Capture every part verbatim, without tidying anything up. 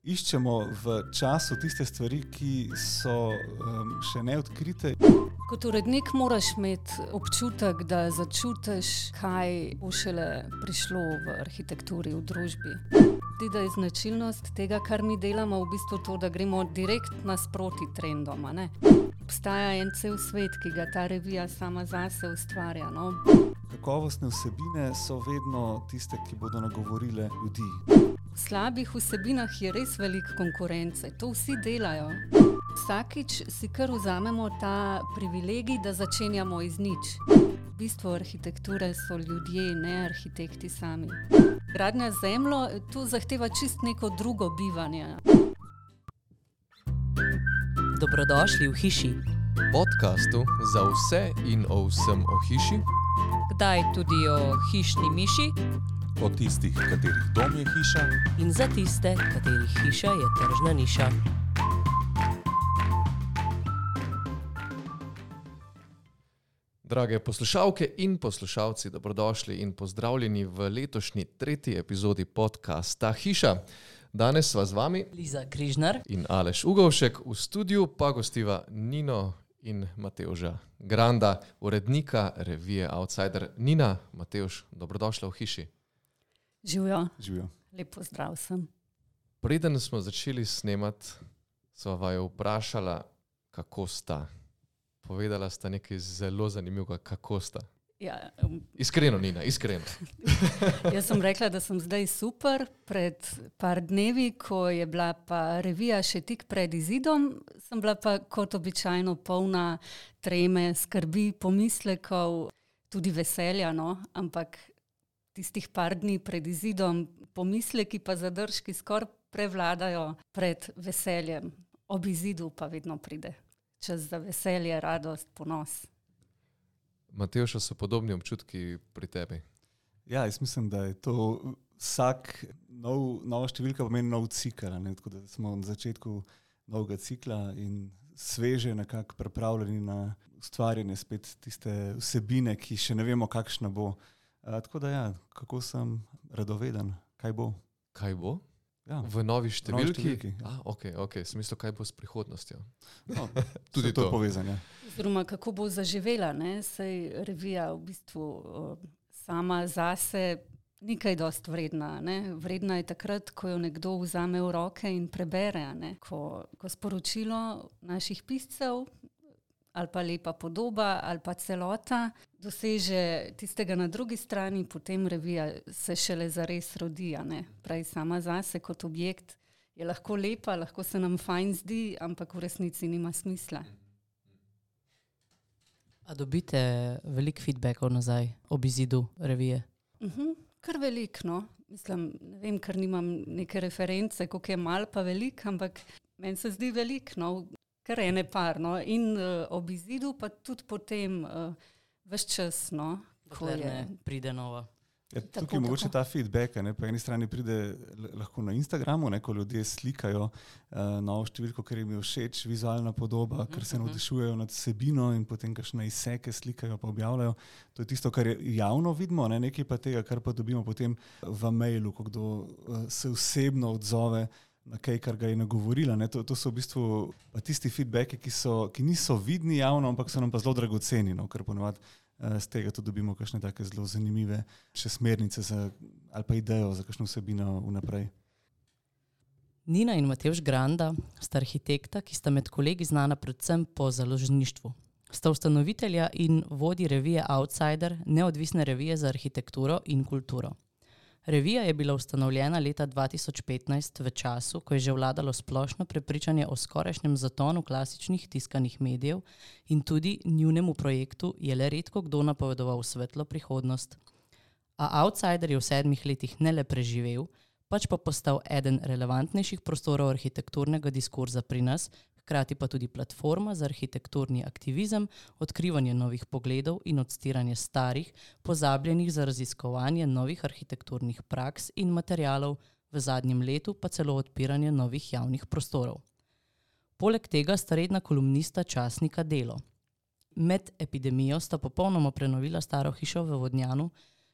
Iščemo v času tiste stvari, ki so um, še neodkrite. Kot urednik moraš imeti občutek, da začutiš, kaj bo šele prišlo v arhitekturi, v družbi. Zdi, da je značilnost tega, kar mi delamo, v bistvu to, da gremo direkt nasproti trendom. a ne? Obstaja en cel svet, ki ga ta revija sama zase ustvarja. No? Kakovostne vsebine so vedno tiste, ki bodo nagovorile ljudi. V slabih vsebinah je res veliko konkurence, to vsi delajo. Vsakič si kar vzamemo ta privilegij, da začenjamo iz nič. V bistvu arhitekture so ljudje, ne arhitekti sami. Gradnja z zemljo, to zahteva čist neko drugo bivanje. Dobrodošli v hiši. Podcastu za vse in o vsem o hiši. Kdaj tudi o hišni miši. O tistih, katerih dom je hiša. In za tiste, katerih hiša je tržna niša. Drage poslušalke in poslušalci, dobrodošli in pozdravljeni v letošnji tretji epizodi podcasta Hiša. Danes sva z vami Liza Križnar in Aleš Ugovšek, v studiu pa gostiva Nino in Matevža Granda, urednika revije Outsider. Nina, Matevž, dobrodošla v hiši. Živijo. Živijo. Lep pozdrav sem. Preden smo začeli snemati, sva vaju vprašala, kako sta. Povedala sta nekaj zelo zanimivega, kako sta. Ja, um, Iskreno, Nina, iskreno. jaz sem rekla, da sem zdaj super. Pred par dnevi, ko je bila pa revija še tik pred izidom, sem bila pa kot običajno polna treme, skrbi, pomislekov, tudi veselja, no, ampak tistih par dni pred izidom pomisleki pa zadržki skoraj prevladajo pred veseljem. Ob izidu pa vedno pride čas za veselje, radost, ponos. Matevša, so podobni občutki pri tebi? Ja, jaz mislim, da je to vsak nov, nova številka pomeni nov cikl, ne? Tako da smo na začetku novega cikla in sveže nekako pripravljeni na ustvarjanje spet tiste vsebine, ki še ne vemo, kakšna bo. A, tako da ja, kako sem radoveden, kaj bo. Kaj bo? Ja. V novi številki? številki, ja. Ah, ok, ok, smislu, kaj bo s prihodnostjo. No, Tudi to to. je povezanje. Oziroma, kako bo zaživela, ne? Saj revija v bistvu o, sama zase ni kaj dost vredna. Ne? Vredna je takrat, ko jo nekdo vzame v roke in prebere. Ne? Ko, ko sporočilo naših piscev ali pa lepa podoba ali pa celota doseže tistega na drugi strani, potem revija se šele zares rodi. Ne? Prej sama zase kot objekt je lahko lepa, lahko se nam fajn zdi, ampak v resnici nima smisla. A dobite veliko feedbackov nazaj ob izidu revije? Uh-huh. Kar veliko, no. Mislim, ne vem, ker nimam neke reference, koliko je mal pa veliko, ampak meni se zdi veliko, no. Kar ene par, no. In uh, ob izidu pa tudi potem uh, ves čas, no. Ko Dokler je. ne pride nova. Ja, Tako, tukaj je mogoče tako. ta feedback, ne, po eni strani pride l- lahko na Instagramu, ne, ko ljudje slikajo uh, novo številko, ker jim je všeč vizualna podoba, ker se navdušujejo nad vsebino in potem kakšne izseke slikajo pa objavljajo. To je tisto, kar je javno vidimo, ne, nekaj pa tega, kar pa dobimo potem v mailu, ko kdo uh, se osebno odzove na kaj, kar ga je nagovorila. Ne. To, to so v bistvu pa tisti feedbacki, ki, so, ki niso vidni javno, ampak so nam pa zelo dragoceni, no, ker ponovadi z tega tudi dobimo kakšne take zelo zanimive še smernice za, ali pa idejo za kakšno vsebino vnaprej. Nina in Matevž Granda sta arhitekta, ki sta med kolegi znana predvsem po založništvu. Sta ustanovitelja in vodi revije Outsider, neodvisne revije za arhitekturo in kulturo. Revija je bila ustanovljena leta dva tisoč petnajst v času, ko je že vladalo splošno prepričanje o skorajšnjem zatonu klasičnih tiskanih medijev in tudi njunemu projektu je le redko kdo napovedoval svetlo prihodnost. A Outsider je v sedmih letih ne le preživel, pač pa postal eden relevantnejših prostorov arhitekturnega diskurza pri nas, hkrati pa tudi platforma za arhitekturni aktivizem, odkrivanje novih pogledov in odstiranje starih, pozabljenih za raziskovanje novih arhitekturnih praks in materialov, v zadnjem letu pa celo odpiranje novih javnih prostorov. Poleg tega sta redna kolumnista časnika Delo. Med epidemijo sta popolnoma prenovila staro hišo v Vodnjanu,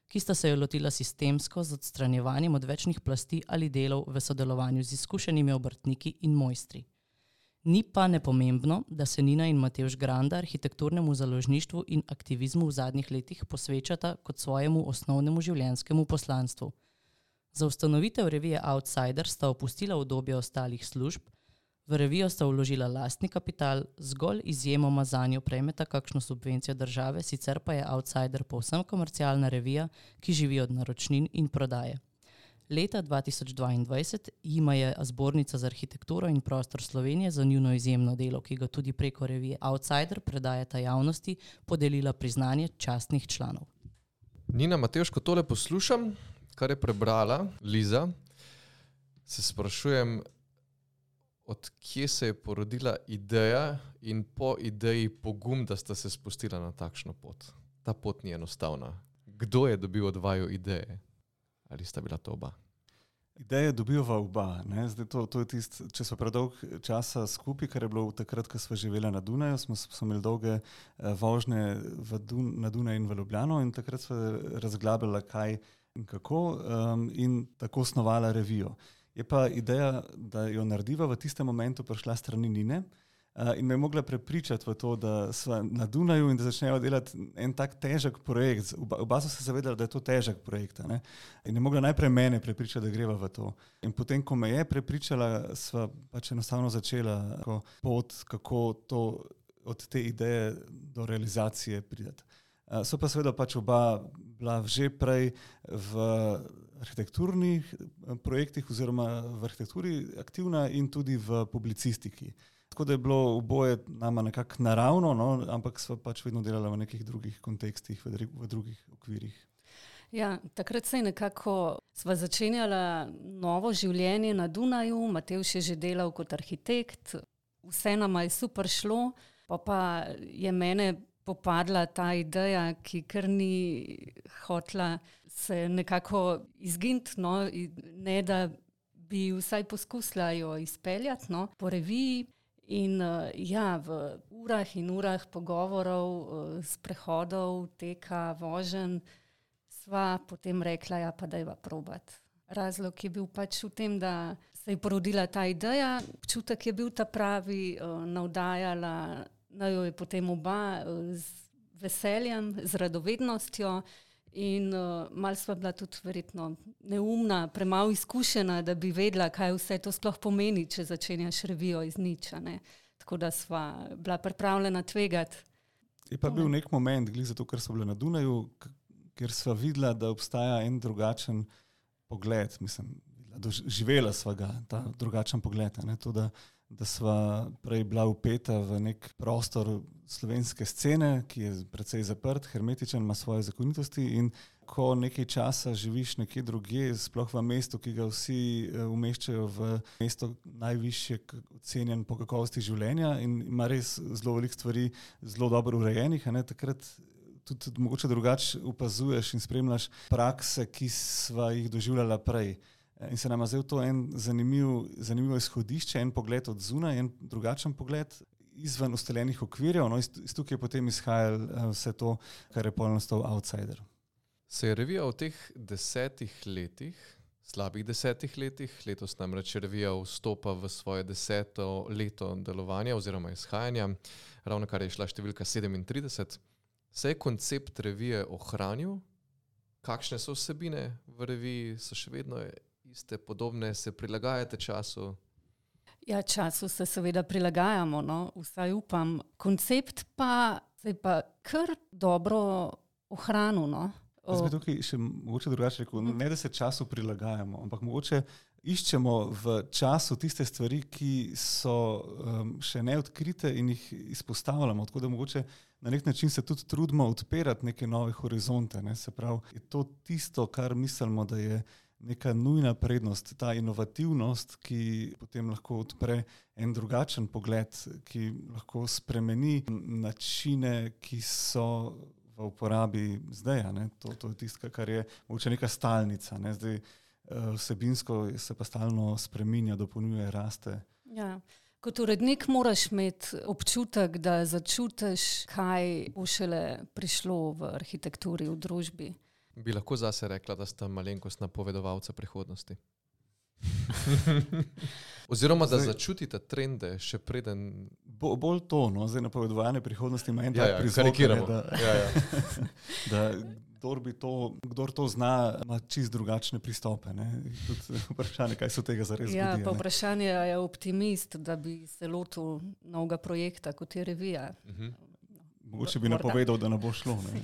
ki sta se jo lotila sistemsko z odstranjevanjem odvečnih plasti ali delov v sodelovanju z izkušenimi obrtniki in mojstri. Ni pa nepomembno, da se Nina in Matevž Granda arhitekturnemu založništvu in aktivizmu v zadnjih letih posvečata kot svojemu osnovnemu življenjskemu poslanstvu. Za ustanovitev revije Outsider sta opustila obdobje ostalih služb, v revijo sta vložila lastni kapital, zgolj izjemoma zanjo prejmeta kakšno subvencijo države, sicer pa je Outsider povsem komercialna revija, ki živi od naročnin in prodaje. Leta dva tisoč dvaindvajset jima je Zbornica za arhitekturo in prostor Slovenije za njuno izjemno delo, ki ga tudi preko revije Outsider predajata javnosti, podelila priznanje častnih članov. Nina, Matevž, ko tole poslušam, kar je prebrala Liza, se sprašujem, od kje se je porodila ideja in po ideji pogum, da sta se spustila na takšno pot. Ta pot ni enostavna. Kdo je dobil od vaju ideje? Ali sta bila to oba? Ideje dobivava oba. Ne? Zdaj to, to je tist, če smo predolg časa skupaj, kar je bilo takrat, ko smo živeli na Dunaju, smo, smo imeli dolge uh, vožnje v Dun, na Dunaju in v Ljubljano in takrat smo razglabljali, kaj in kako um, in tako snovala revijo. Je pa ideja, da jo narediva v tistem momentu prišla strani Nine uh, in me je mogla prepričati v to, da sva na Dunaju in da začnejo delati en tak težek projekt. Oba, oba so se zavedali, da je to težek projekt. Ne? In je mogla najprej mene prepričati, da greva v to. In potem, ko me je prepričala, sva pač enostavno začela pot, kako to, od te ideje do realizacije prideti. Uh, so pa seveda pač oba bila že prej v arhitekturnih projektih oziroma v arhitekturi aktivna in tudi v publicistiki. Tako da je bilo oboje nama nekako naravno, no, ampak sva pač vedno delala v nekih drugih kontekstih, v, v drugih okvirih. Ja, takrat se je nekako sva začenjala novo življenje na Dunaju, Matevž je že delal kot arhitekt, vse nama je super šlo, pa pa je mene popadla ta ideja, ki kar ni hotla se nekako izginiti, no, ne da bi vsaj poskusila jo izpeljati, no, po reviji. In uh, ja, v urah in urah pogovorov, uh, sprehodov, teka, voženj, sva potem rekla, ja, pa dajva probati. Razlog je bil pač v tem, da se je porodila ta ideja, občutek je bil ta pravi, uh, navdajala, na jo je potem oba uh, z veseljem, z radovednostjo in uh, malo sva bila tudi verjetno neumna, premalo izkušena, da bi vedela, kaj vse to sploh pomeni, če začenjaš revijo iz niča. Ne. Tako da sva bila pripravljena tvegati. Je pa bil nek moment, glih zato, ker so bile na Dunaju, ker sva videla, da obstaja en drugačen pogled, mislim, doživela sva ga, ta drugačen pogled, ne, to, da da sva prej bila upeta v nek prostor slovenske scene, ki je precej zaprt, hermetičen, ima svoje zakonitosti in ko nekaj časa živiš nekje drugje, sploh v mestu, ki ga vsi umeščajo v mesto najvišje ocenjen po kakovosti življenja in ima res zelo veliko stvari zelo dobro urejenih, a ne, takrat tudi mogoče drugače opazuješ in spremljaš prakse, ki sva jih doživljala prej. In se nam je zdel to en zanimiv, zanimivo izhodišče, en pogled od zunaj, en drugačen pogled izven ustaljenih okvirjev, no iz, iz tukaj je potem izhajalo vse to, kar je polno stal Outsider. Se je revija v teh desetih letih, slabih desetih letih, letos namreč revija vstopa v svoje deseto leto delovanja oziroma izhajanja, ravno kar je šla številka sedemintrideset, se je koncept revije ohranil? Kakšne so vsebine v reviji, so še vedno iste, podobne, se prilagajate času? Ja, času se seveda prilagajamo, no, vsaj upam. Koncept pa se je pa kar dobro ohranil, no. Jaz bi tukaj še mogoče drugače rekel, ne da se času prilagajamo, ampak mogoče iščemo v času tiste stvari, ki so um, še neodkrite in jih izpostavljamo, tako da mogoče na nek način se tudi trudimo odpirati neke nove horizonte, ne, se pravi, je to tisto, kar mislimo, da je neka nujna prednost, ta inovativnost, ki potem lahko odpre en drugačen pogled, ki lahko spremeni načine, ki so v uporabi zdaj. Ne? To, to je tisto, kar je mogoče neka stalnica. Ne? Zdaj vsebinsko se pa stalno spreminja, dopolnjuje, raste. Ja. Kot urednik moraš imeti občutek, da začutiš, kaj bo šele prišlo v arhitekturi, v družbi. Bi lahko zase rekla, da sta malenkost napovedovalca prihodnosti? Oziroma, da začutite trende še preden... Bo, bolj to, no, zdaj napovedovanje prihodnosti ima en ja, tak ja, prizvok, karikiramo. da, ja, ja. da kdor, bi to, kdor to zna, ima čist drugačne pristope. Ne? Tudi vprašanje, kaj so tega zares Ja, zgodi, pa ne. vprašanje je optimist, da bi se lotil novega projekta, kot je revija. Mhm. Mogoče bi Morda. napovedal, da ne bo šlo, ne.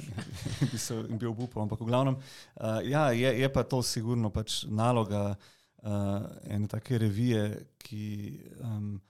In bi se in bi obupal, ampak v glavnem, uh, ja, je, je pa to sigurno pač naloga uh, ene take revije, ki um,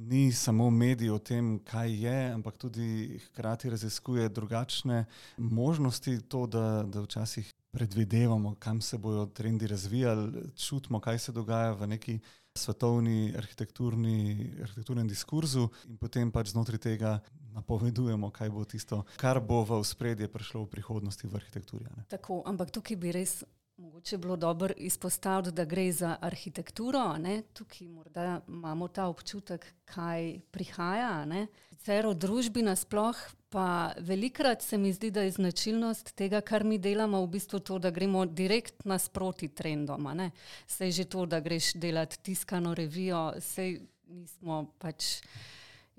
ni samo medij o tem, kaj je, ampak tudi hkrati raziskuje drugačne možnosti, to, da, da včasih predvidevamo, kam se bojo trendi razvijali, čutimo, kaj se dogaja v neki svetovni arhitekturni, arhitekturnem diskurzu in potem pač znotraj tega napovedujemo, kaj bo tisto, kar bo v ospredje prišlo v prihodnosti v arhitekturi. Ne? Tako, ampak tukaj bi res mogoče bilo dobro izpostaviti, da gre za arhitekturo, ne? Tukaj morda imamo ta občutek, kaj prihaja, ne? Sicer v družbi nasploh, pa velikrat se mi zdi, da je značilnost tega, kar mi delamo, v bistvu to, da gremo direkt nasproti trendoma, ne? Sej že to, da greš delati tiskano revijo, sej nismo pač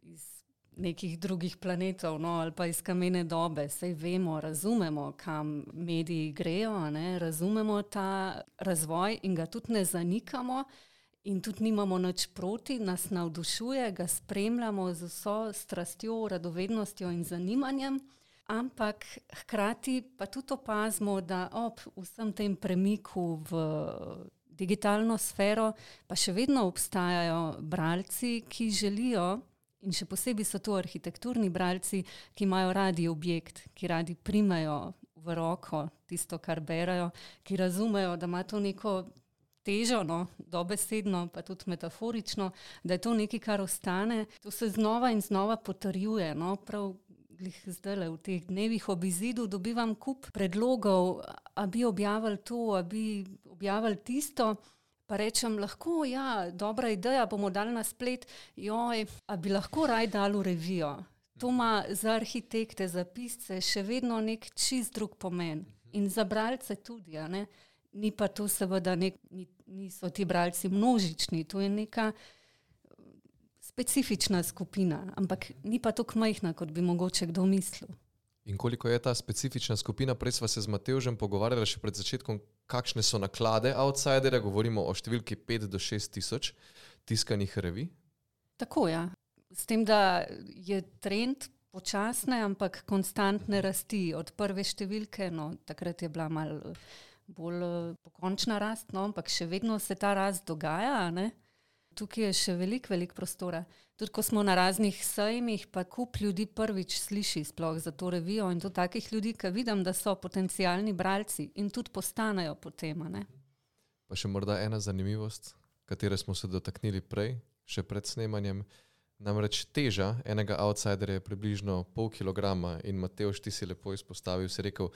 iz nekih drugih planetov, no, ali pa iz kamene dobe. Sej vemo, razumemo, kam mediji grejo, ne, razumemo ta razvoj in ga tudi ne zanikamo in tudi nimamo nič proti, nas navdušuje, ga spremljamo z vso strastjo, radovednostjo in zanimanjem, ampak hkrati pa tudi opazimo, da ob vsem tem premiku v digitalno sfero pa še vedno obstajajo bralci, ki želijo, in še posebej so to arhitekturni bralci, ki imajo radi objekt, ki radi primajo v roko tisto, kar berajo, ki razumejo, da ima to neko težo, no, dobesedno, pa tudi metaforično, da je to nekaj, kar ostane. To se znova in znova potrjuje, no, prav glih zdajle v teh dnevih ob izidu dobivam kup predlogov, a bi objavili to, a bi objavili tisto. Pa rečem, lahko, ja, dobra ideja, bomo dali na splet, joj, a bi lahko raj dali v revijo. To ima za arhitekte, za pisce še vedno nek čist drug pomen. In za bralce tudi, a ne. Ni pa to seveda, nek, niso ti bralci množični, to je neka specifična skupina, ampak ni pa tako majhna, kot bi mogoče kdo mislil. In koliko je ta specifična skupina? Prej sva se z Matevžem pogovarjala še pred začetkom, kakšne so naklade outsiderja, govorimo o številki pet do šest tisoč tiskanih revij. Tako, ja. S tem, da je trend počasne, ampak konstantne rasti od prve številke, no, takrat je bila malo bolj pokončna rast, no, ampak še vedno se ta rast dogaja, ne. Tukaj je še veliko, veliko prostora. Tudi ko smo na raznih sejmih, pa kup ljudi prvič sliši sploh za to revijo in to takih ljudi, ki vidim, da so potencialni bralci in tudi postanejo potem, ne. Pa še morda ena zanimivost, katere smo se dotaknili prej, še pred snemanjem. Namreč teža enega outsiderja je približno pol kilograma in Matevž, ti si lepo izpostavil, si rekel,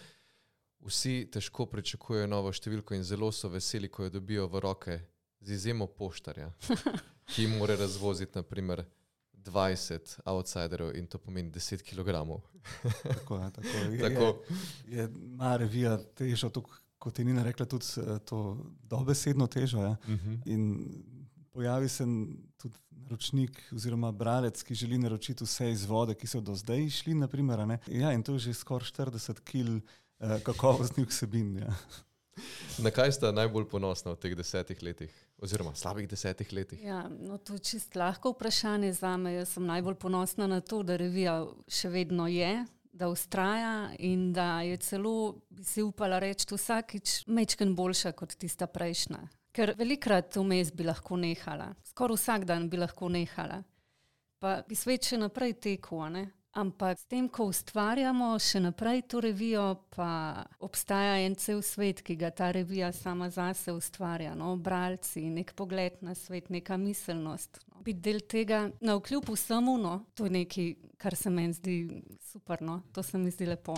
vsi težko pričakujejo novo številko in zelo so veseli, ko jo dobijo v roke, z izjemo poštarja, ki mora razvoziti naprimer dvajset outsiderov in to pomeni deset kilogramov. Tako je, tako je. Tako. Je, je, ima revija težo, to, kot je Nina rekla, tudi to dobesedno težo. Ja. Uh-huh. In pojavi se tudi naročnik oziroma bralec, ki želi naročiti vse izvode, ki so do zdaj šli, naprimer, ne. Ja, in to je že skoraj štirideset kil eh, kakovostnih vsebin, ja. Na kaj sta najbolj ponosna v teh desetih letih? Oziroma slabih desetih letih? Ja, no to je čist lahko vprašanje zame. Jaz sem najbolj ponosna na to, da revija še vedno je, da vztraja in da je celo, bi si upala reči, vsakič majčkeno boljša kot tista prejšnja. Ker velikrat vmes bi lahko nehala. Skoraj vsak dan bi lahko nehala. Pa bi svet še naprej tekel, ne? Ampak s tem, ko ustvarjamo še naprej to revijo, pa obstaja en cel svet, ki ga ta revija sama zase ustvarja. No? Bralci, nek pogled na svet, neka miselnost. No? Biti del tega, navkljub vsemu, no? To je nekaj, kar se meni zdi super. No? To se mi zdi lepo.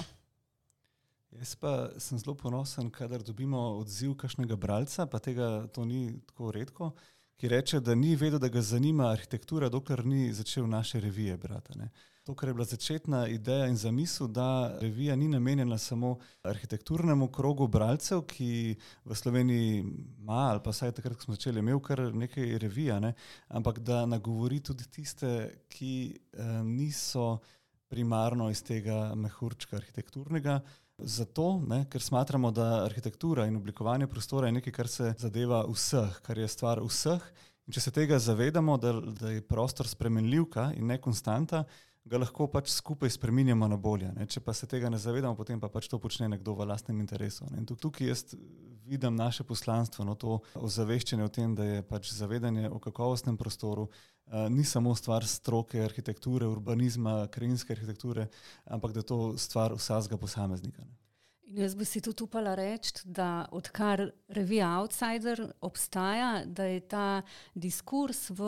Jaz pa sem zelo ponosen, kadar dobimo odziv kakšnega bralca, pa tega to ni tako redko, ki reče, da ni vedel, da ga zanima arhitektura, dokler ni začel naše revije brati. Ne. To, kar je bila začetna ideja in zamisel, da revija ni namenjena samo arhitekturnemu krogu bralcev, ki v Sloveniji ima, ali pa vsaj takrat, ko smo začeli, imel kar nekaj revija, ne, ampak da nagovori tudi tiste, ki eh, niso primarno iz tega mehurčka arhitekturnega. Zato, ne, ker smatramo, da arhitektura in oblikovanje prostora je nekaj, kar se zadeva vseh, kar je stvar vseh. In če se tega zavedamo, da, da je prostor spremenljivka in ne konstanta, ga lahko pač skupaj spreminjamo na bolje. Ne. Če pa se tega ne zavedamo, potem pa pač to počne nekdo v lastnem interesu. Ne. In tukaj jaz vidim naše poslanstvo, no, to ozaveščanje o tem, da je pač zavedanje o kakovostnem prostoru uh, ni samo stvar stroke arhitekture, urbanizma, krajinske arhitekture, ampak da je to stvar vsakega posameznika. Ne. In jaz bi si tudi upala reči, da odkar revija Outsider obstaja, da je ta diskurs v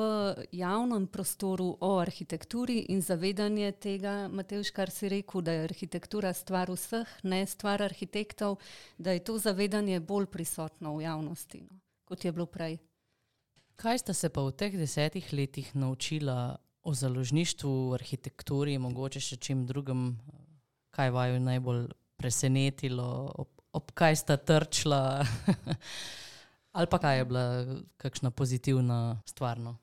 javnem prostoru o arhitekturi in zavedanje tega, Matevž, kar si rekel, da je arhitektura stvar vseh, ne stvar arhitektov, da je to zavedanje bolj prisotno v javnosti, no, kot je bilo prej. Kaj sta se pa v teh desetih letih naučila o založništvu, arhitekturi, mogoče še čim drugem, kaj vaju najbolj presenetilo, ob, ob kaj sta trčila ali pa kaj je bila kakšna pozitivna stvar? No?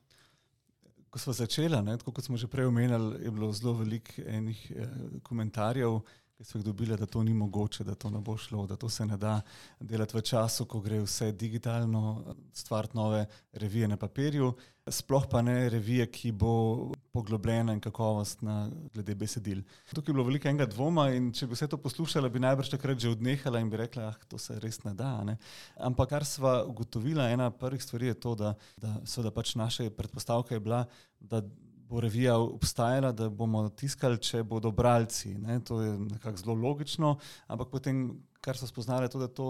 Ko smo začela, ne, tako kot smo že prej omenjali, je bilo zelo veliko enih eh, komentarjev, ki so jih dobili, da to ni mogoče, da to ne bo šlo, da to se ne da delati v času, ko gre vse digitalno, stvariti nove revije na papirju, sploh pa ne revije, ki bo poglobljena in kakovostna glede besedil. Tukaj je bilo veliko enega dvoma in če bi vse to poslušala, bi najbrž takrat že odnehala in bi rekla, ah, to se res ne da. Ne? Ampak kar sva ugotovila, ena prvih stvari je to, da, da seveda pač naša predpostavka je bila, da bo revija obstajala, da bomo tiskali, če bodo bralci. Ne? To je nekako zelo logično, ampak potem, kar so spoznali, je to, da, to,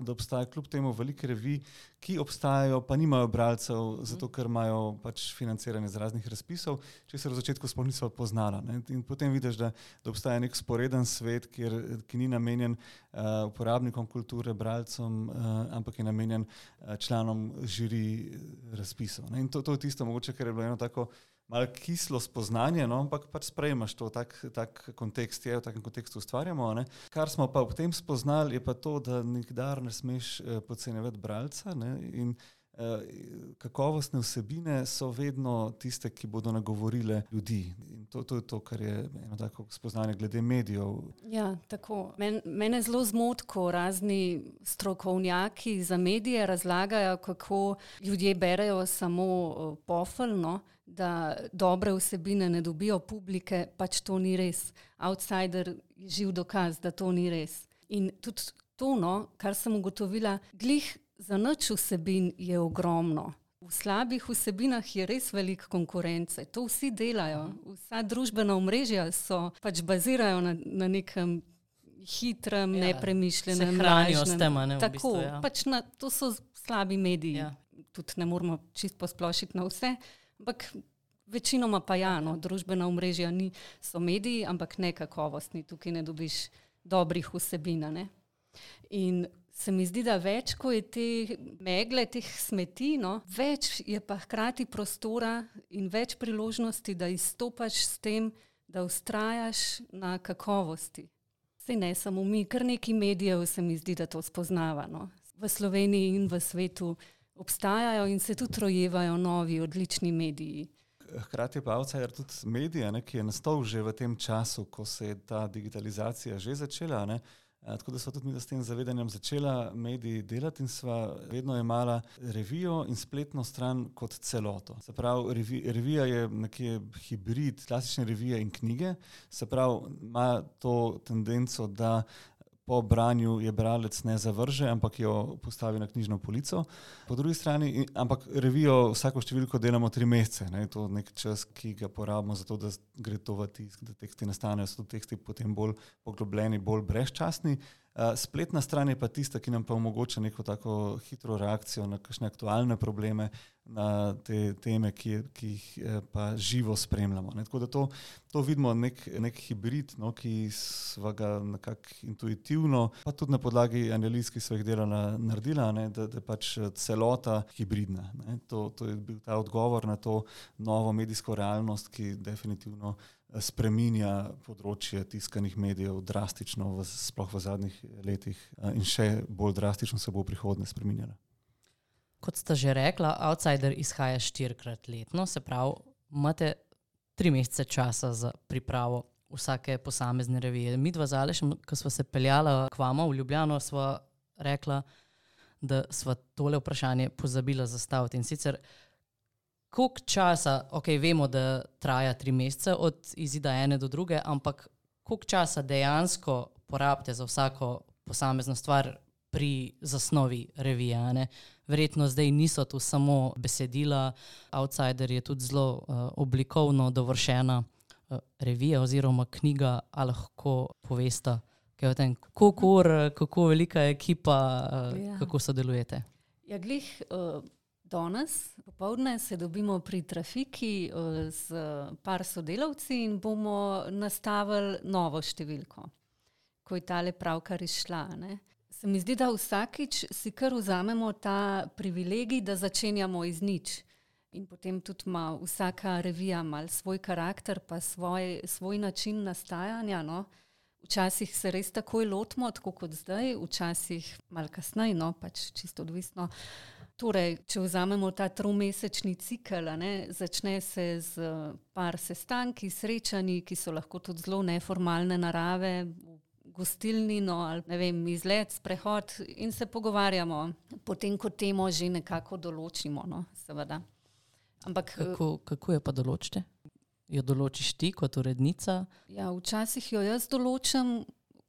da obstaja kljub temu velike revij, ki obstajajo, pa nimajo bralcev, zato ker imajo pač financiranje z raznih razpisov, če se v začetku sploh niso poznala. Ne? In potem vidiš, da, da obstaja nek sporeden svet, kjer, ki ni namenjen uh, uporabnikom kulture, bralcem, uh, ampak je namenjen uh, članom žiri razpisov. Ne? In to, to je tisto mogoče, ker je bilo eno tako malo kislo spoznanje, no, ampak pač sprejmaš to, tak, tak kontekst je, v takem kontekstu ustvarjamo. Ne. Kar smo pa ob tem spoznali, je pa to, da nikdar ne smeš eh, podcenjevati bralca, ne, in eh, kakovostne vsebine so vedno tiste, ki bodo nagovorile ljudi. In to, to je to, kar je eno tako spoznanje glede medijev. Ja, tako. Men, mene zelo zmoti, ko razni strokovnjaki za medije razlagajo, kako ljudje berejo samo uh, pofeljno, da dobre vsebine ne dobijo publike, pač to ni res. Outsider je živ dokaz, da to ni res. In tudi to, no, kar sem ugotovila, glih za nič vsebin je ogromno. V slabih vsebinah je res veliko konkurence. To vsi delajo. Vsa družbena omrežja so pač bazirajo na, na nekem hitrem, ja, nepremišljenem, se hranijo s tem, ne, v tako, bistvu, ja. Pač na, to so slabi mediji. Ja. Tudi ne moramo čist posplošiti na vse, ampak večinoma pa ja, no, družbena omrežja ni, so mediji, ampak ne kakovostni. Tukaj ne dobiš dobrih vsebin, ne. In se mi zdi, da več, ko je te megle, teh smeti, no, več je pa hkrati prostora in več priložnosti, da izstopaš s tem, da vztrajaš na kakovosti. Saj ne samo mi, kar nekaj medijev se mi zdi, da to spoznava. No. V Sloveniji in v svetu obstajajo in se tudi rojevajo novi, odlični mediji. Hkrati je pa Outsider tudi medij, ne, ki je nastal že v tem času, ko se je ta digitalizacija že začela. Ne. Tako da sva tudi mi s tem zavedanjem začela mediji delati in sva vedno imala revijo in spletno stran kot celoto. Se pravi, revi, revija je nekje hibrid klasične revije in knjige, se pravi, ima to tendenco, da po branju je bralec ne zavrže, ampak jo postavi na knjižno polico. Po drugi strani, ampak revijo vsako številko delamo tri mesece. Ne? To je nek čas, ki ga porabimo za to, da gre to v tisk, da teksti nastanejo, so teksti potem bolj poglobljeni, bolj brezčasni. Uh, spletna stran je pa tista, ki nam pa omogoča neko tako hitro reakcijo na kakšne aktualne probleme, na te teme, ki, ki jih pa živo spremljamo. Ne. Tako da to, to vidimo nek, nek hibrid, no, ki sva ga nekako intuitivno, pa tudi na podlagi analiz, ki sva jih delala, naredila, ne, da, da pač celota hibridna. Ne. To, to je bil ta odgovor na to novo medijsko realnost, ki definitivno spreminja področje tiskanih medijev drastično, v, sploh v zadnjih letih in še bolj drastično se bo v prihodnje spreminjala. Kot sta že rekla, Outsider izhaja štirikrat letno, se pravi, imate tri mesece časa za pripravo vsake posamezne revije. Mi dva z Alešem, ko sva se peljala k vama v Ljubljano, sva rekla, da sva tole vprašanje pozabila zastaviti. In sicer, koliko časa, ok, vemo, da traja tri mesece od izida ene do druge, ampak koliko časa dejansko porabite za vsako posamezno stvar pri zasnovi revije, ne? Verjetno zdaj niso tu samo besedila, Outsider je tudi zelo uh, oblikovno dovršena uh, revija oziroma knjiga, a lahko povesta, kaj o tem, kako, kako velika je ekipa, uh, ja. Kako sodelujete? Ja, glih, uh, danes, popoldne se dobimo pri Trafiki uh, z par sodelavci in bomo nastavili novo številko, ko je tale pravkar izšla, ne? Se mi zdi, da vsakič si kar vzamemo ta privilegij, da začenjamo iz nič. In potem tudi ima vsaka revija mal svoj karakter, pa svoj, svoj način nastajanja. No. Včasih se res takoj lotimo, tako kot zdaj, včasih mal kasneje, no, pač čisto odvisno. Torej, če vzamemo ta tromesečni cikel, ne, začne se z par sestanki, srečanji, ki so lahko tudi zelo neformalne narave, gostilnino ali ne vem, izlet, sprehod in se pogovarjamo. Potem, ko temo že nekako določimo, no, seveda. Ampak, kako, kako jo pa določite? Jo določiš ti kot urednica? Ja, včasih jo jaz določam,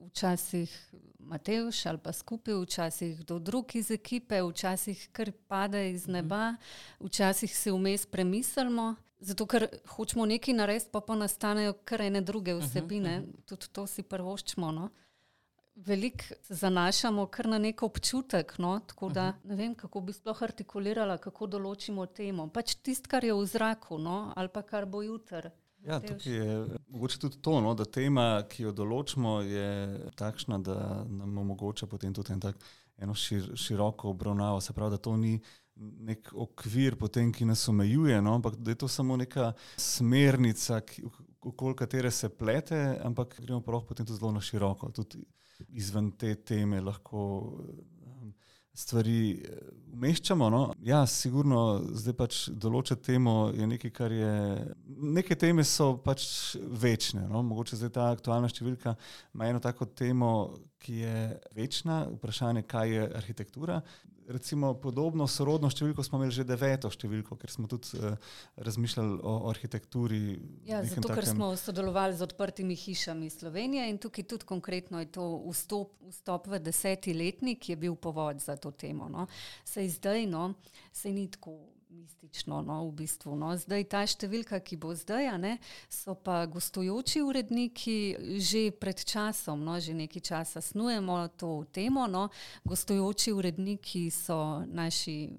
včasih Matevž ali pa skupaj, včasih kdo drug iz ekipe, včasih kar pade iz neba, včasih se vmes premislimo. Zato, ker hočemo nekaj narediti, pa pa nastanejo kar ene druge vsebine. Uh-huh, uh-huh. Tudi to si prvoščimo. No. Veliko se zanašamo kar na nek občutek, no. Tako da uh-huh. ne vem, kako bi sploh artikulirala, kako določimo temo. Pač tisto, kar je v zraku, no, ali pa kar bo jutr. Ja, tukaj je mogoče tudi to, no, da tema, ki jo določimo, je takšna, da nam omogoča potem tudi en tak, eno šir, široko obravnavo. Se pravi, da to ni nek okvir potem, ki nas omejuje, no, ampak da je to samo neka smernica, ki, okoli katere se plete, ampak gremo pa lahko potem tudi zelo na široko. Tudi izven te teme lahko um, stvari umeščamo. No. Ja, sigurno zdaj pač določati temo je nekaj, kar je... Neke teme so pač večne. No. Mogoče zdaj ta aktualna številka ima eno tako temo, ki je večna, vprašanje, kaj je arhitektura. Recimo podobno sorodno številko smo imeli že deveto številko, ker smo tudi uh, razmišljali o, o arhitekturi. Ja, zato, takem... ker smo sodelovali z odprtimi hišami Slovenije in tukaj tudi konkretno je to vstop, vstop v deseti letnik je bil povod za to temo. No. Sej zdaj, no, sej ni tako mistično, no, v bistvu. No. Zdaj ta številka, ki bo zdaj, a ne, so pa gostujoči uredniki že pred časom, no, že nekaj časa snujemo to temo, no. Gostujoči uredniki so naši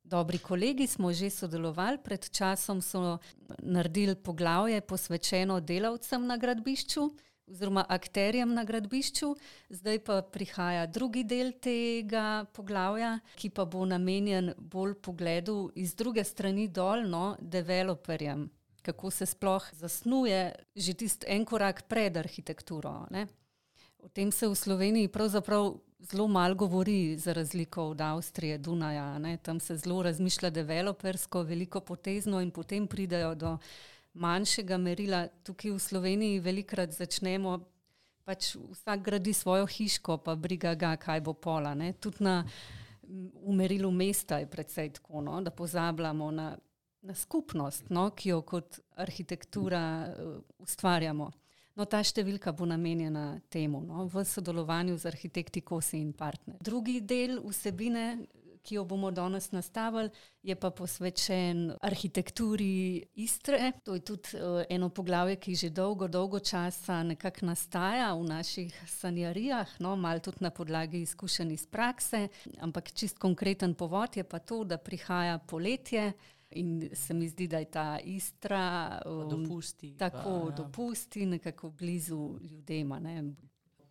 dobri kolegi, smo že sodelovali, pred časom so naredili poglavje posvečeno delavcem na gradbišču, oziroma akterjem na gradbišču. Zdaj pa prihaja drugi del tega poglavja, ki pa bo namenjen bolj pogledu iz druge strani dol, no, developerjem, kako se sploh zasnuje že tisti en korak pred arhitekturo. Ne. O tem se v Sloveniji pravzaprav zelo malo govori, za razliko od Avstrije, Dunaja. Ne. Tam se zelo razmišlja developersko, veliko potezno in potem pridejo do manjšega merila. Tukaj v Sloveniji velikrat začnemo, pač vsak gradi svojo hiško, pa briga ga, kaj bo pola. Ne. Tudi na v merilu mesta je precej tako, no, da pozabljamo na, na skupnost, no, ki jo kot arhitektura uh, ustvarjamo. No, ta številka bo namenjena temu, no, v sodelovanju z arhitekti Kosi in partner. Drugi del vsebine, ki jo bomo danes nastavili, je pa posvečen arhitekturi Istre. To je tudi uh, eno poglavje, ki že dolgo, dolgo časa nekako nastaja v naših sanjarijah, no, malo tudi na podlagi izkušenj iz prakse, ampak čist konkreten povod je pa to, da prihaja poletje in se mi zdi, da je ta Istra um, dopusti, tako pa, ja. dopusti, nekako blizu ljudema. Ne.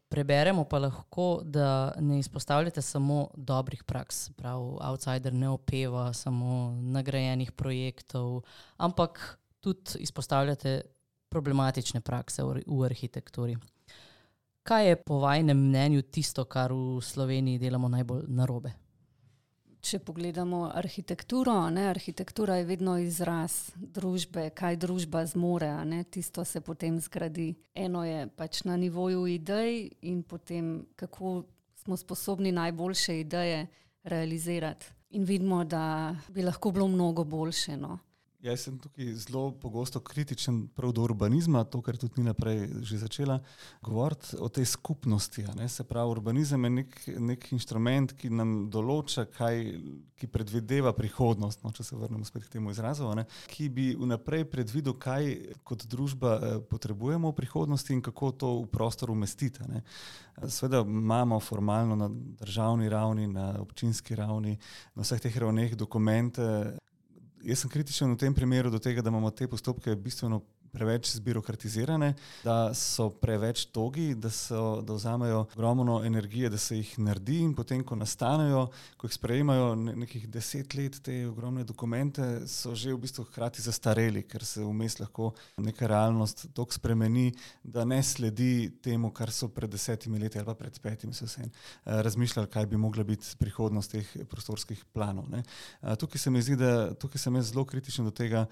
Preberemo pa lahko, da ne izpostavljate samo dobrih praks, prav Outsider ne opeva samo nagrajenih projektov, ampak tudi izpostavljate problematične prakse v, v arhitekturi. Kaj je po vajinem mnenju tisto, kar v Sloveniji delamo najbolj narobe? Če pogledamo arhitekturo, ne, arhitektura je vedno izraz družbe, kaj družba zmore, a ne, tisto se potem zgradi. Eno je pač na nivoju idej in potem kako smo sposobni najboljše ideje realizirati. In vidimo, da bi lahko bilo mnogo boljše. No. Jaz sem tukaj zelo pogosto kritičen prav do urbanizma, to, kar tudi Nina prej že začela govoriti o tej skupnosti. Ne? Se pravi, urbanizem je nek, nek inštrument, ki nam določa, kaj, ki predvideva prihodnost, no, če se vrnemo spet k temu izrazu, ne? Ki bi vnaprej predvidel, kaj kot družba eh, potrebujemo v prihodnosti in kako to v prostor umestiti. Ne? Seveda imamo formalno na državni ravni, na občinski ravni, na vseh teh ravneh dokumente. Jaz sem kritičen v tem primeru do tega, da imamo te postopke bistveno preveč zbirokratizirane, da so preveč togi, da, so, da vzamejo ogromno energije, da se jih naredi in potem, ko nastanejo, ko jih sprejemajo nekih deset let, te ogromne dokumente, so že v bistvu hkrati zastareli, ker se vmes lahko neka realnost toliko spremeni, da ne sledi temu, kar so pred desetimi leti ali pa pred petimi so vse razmišljali, kaj bi mogla biti prihodnost teh prostorskih planov. Ne. Tukaj se mi zdi, da tukaj sem jaz zelo kritičen do tega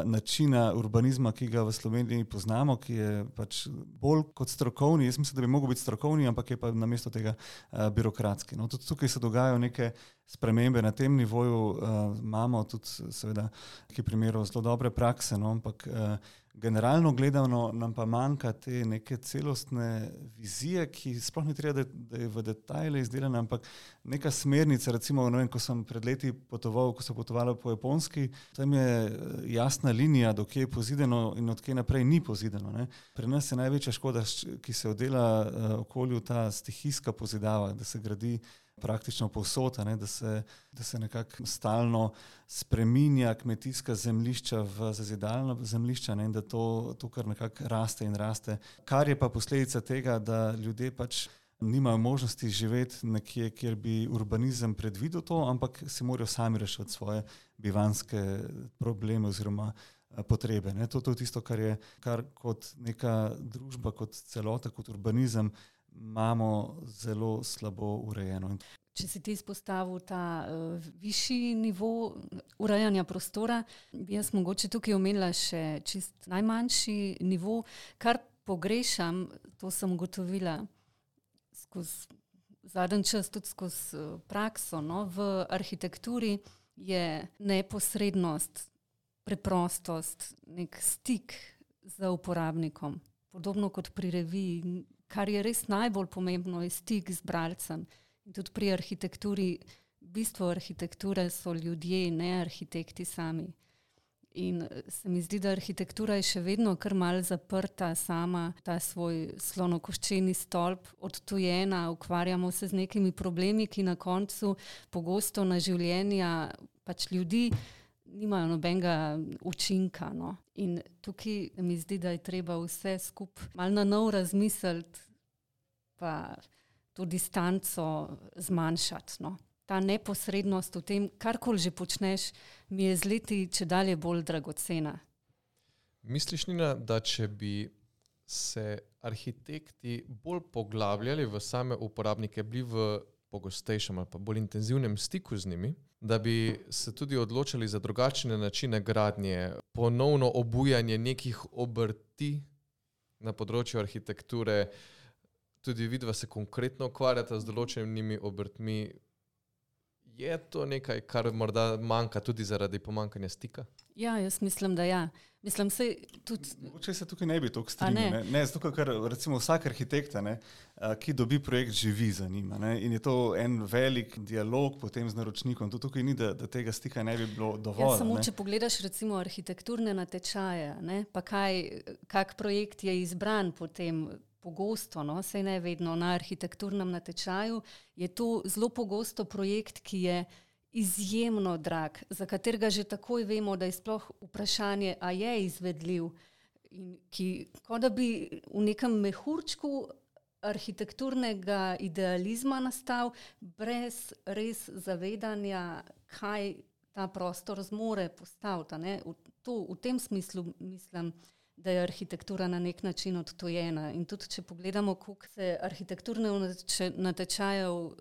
načina urbanizma, ki ga v Sloveniji poznamo, ki je pač bolj kot strokovni. Jaz mislim, da bi mogel biti strokovni, ampak je pa namesto tega uh, birokratski. No, tudi tukaj se dogajajo neke spremembe na tem nivoju. Uh, imamo tudi seveda nekaj primerov zelo dobre prakse, no, ampak uh, generalno gledano nam pa manjka te neke celostne vizije, ki sploh ni treba, da, da je v detajle izdelana, ampak neka smernica, recimo, ne vem, ko sem pred leti potoval, ko sem potovala po Japonski, tam je jasna linija, do kje je pozidano in od kje naprej ni pozidano. Ne. Pri nas je največja škoda, ki se oddela uh, okolju, ta stihijska pozidava, da se gradi praktično povsod, ne, da se, da se nekako stalno spreminja kmetijska zemljišča v zazidalna zemljišča, ne, in da to, to kar nekako raste in raste. Kar je pa posledica tega, da ljudje pač nimajo možnosti živeti nekje, kjer bi urbanizem predvidel to, ampak si morajo sami rešiti svoje bivanske probleme oziroma potrebe. Ne. To, to je tisto, kar je kar kot neka družba, kot celota, kot urbanizem imamo zelo slabo urejeno. Če si ti izpostavil ta uh, višji nivo urejanja prostora, bi jaz mogoče tukaj omenila še čist najmanjši nivo, kar pogrešam, to sem ugotovila skozi zadnji čas, tudi skozi uh, prakso, no, v arhitekturi je neposrednost, preprostost, nek stik z uporabnikom, podobno kot pri reviji. Kar je res najbolj pomembno, je stik z bralcem. In tudi pri arhitekturi, bistvo arhitekture so ljudje, ne arhitekti sami. In se mi zdi, da arhitektura je še vedno kar malo zaprta sama, ta svoj slonokoščeni stolp, odtujena, ukvarjamo se z nekimi problemi, ki na koncu pogosto na življenja pač ljudi nimajo nobenega učinka. No. In tukaj mi zdi, da je treba vse skupaj malo na nov razmisliti, pa to distanco zmanjšati. No. Ta neposrednost v tem, karkoli že počneš, mi je z leti čedalje bolj dragocena. Misliš, Nina, da če bi se arhitekti bolj poglabljali v same uporabnike, bili v pogostejšem ali pa bolj intenzivnem stiku z njimi, da bi se tudi odločili za drugačne načine gradnje, ponovno obujanje nekih obrti na področju arhitekture, tudi vidva se konkretno ukvarjata z določenimi obrtmi. Je to nekaj, kar morda manjka tudi zaradi pomanjkanja stika? Ja, jaz mislim, da ja. Mislim, se tudi... Mogoče se tukaj ne bi toliko strinjal. Ne, ne zato, ker recimo vsak arhitekta, ne, ki dobi projekt, živi za njima. Ne, in je to en velik dialog potem z naročnikom. To tukaj ni, da, da tega stika ne bi bilo dovolj. Ja, samo ne. če pogledaš recimo arhitekturne natečaje, ne, pa kaj, kak projekt je izbran potem pogosto, no, saj ne vedno na arhitekturnem natečaju, je to zelo pogosto projekt, ki je izjemno drag, za katerega že takoj vemo, da je sploh vprašanje, a je izvedljiv, in ki, kot da bi v nekem mehurčku arhitekturnega idealizma nastal, brez res zavedanja, kaj ta prostor zmore postaviti. Ne? V, to, v tem smislu mislim, da je arhitektura na nek način odtojena. In tudi, če pogledamo, koliko se arhitekturne natečajev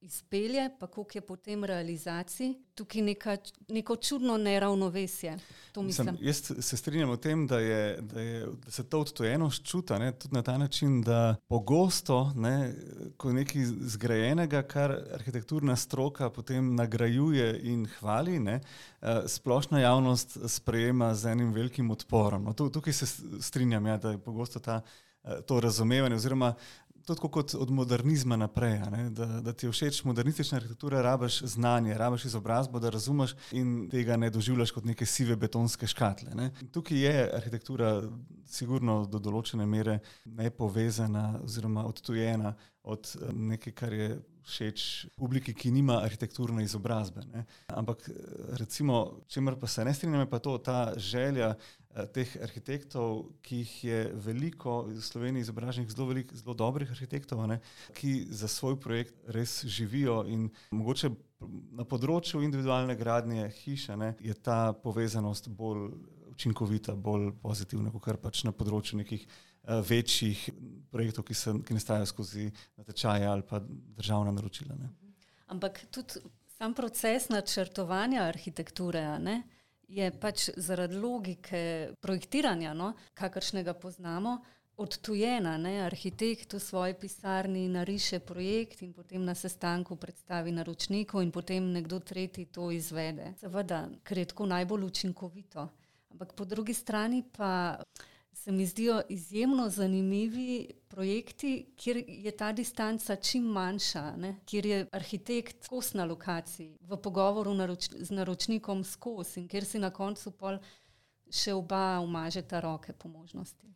izpelje, pa koliko je potem realizacij, tukaj neka, neko čudno neravnovesje. To mislim. Mislim, jaz se strinjam o tem, da, je, da, je, da se to odtojenost čuta, ne, tudi na ta način, da pogosto, ne, ko nekaj zgrajenega, kar arhitekturna stroka potem nagrajuje in hvali, ne, splošna javnost sprejema z enim velikim odporom. No, tukaj se strinjam, ja, da je pogosto ta, to razumevanje, oziroma tudi kot od modernizma naprej, ne? Da, da ti je všeč modernistična arhitektura, rabiš znanje, rabiš izobrazbo, da razumeš in tega ne doživljaš kot neke sive betonske škatle. Ne? Tukaj je arhitektura sigurno do določene mere nepovezana oziroma odtujena od nekaj, kar je všeč publiki, ki nima arhitekturne izobrazbe. Ne? Ampak recimo, čemer pa se ne strinjam, je pa to, ta želja teh arhitektov, ki jih je veliko v Sloveniji izobraženih, zelo veliko, zelo dobrih arhitektov, ne, ki za svoj projekt res živijo in mogoče na področju individualne gradnje hiše, ne, je ta povezanost bolj učinkovita, bolj pozitivna, kot pač na področju nekih uh, večjih projektov, ki, se, ki nastajajo skozi natečaje ali pa državna naročila. Ne. Ampak tudi sam proces načrtovanja arhitekture, ne, je pač zaradi logike projektiranja, no, kakršnega poznamo, odtujena. Ne? Arhitekt v svoji pisarni nariše projekt in potem na sestanku predstavi naročniku in potem nekdo tretji to izvede. Seveda, ker je tako najbolj učinkovito. Ampak po drugi strani pa se mi zdijo izjemno zanimivi projekti, kjer je ta distanca čim manjša, ne? Kjer je arhitekt skozi na lokaciji, v pogovoru naroč, z naročnikom skozi in kjer si na koncu pol še oba umažeta roke po možnosti.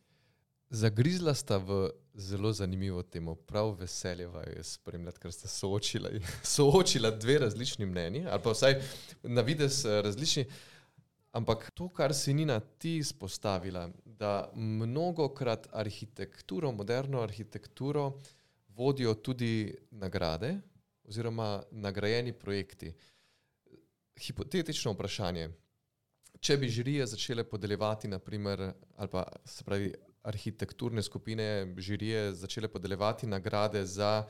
Zagrizla sta v zelo zanimivo temo. Prav veseljeva je spremljati, ker sta soočila, soočila dve različni mnenji, ali pa vsaj na vides različni. Ampak to, kar si Nina ti izpostavila, da mnogokrat arhitekturo, moderno arhitekturo vodijo tudi nagrade oziroma nagrajeni projekti. Hipotetično vprašanje. Če bi žirije začele podeljevati, naprimer, ali pa se pravi arhitekturne skupine žirije začele podeljevati nagrade za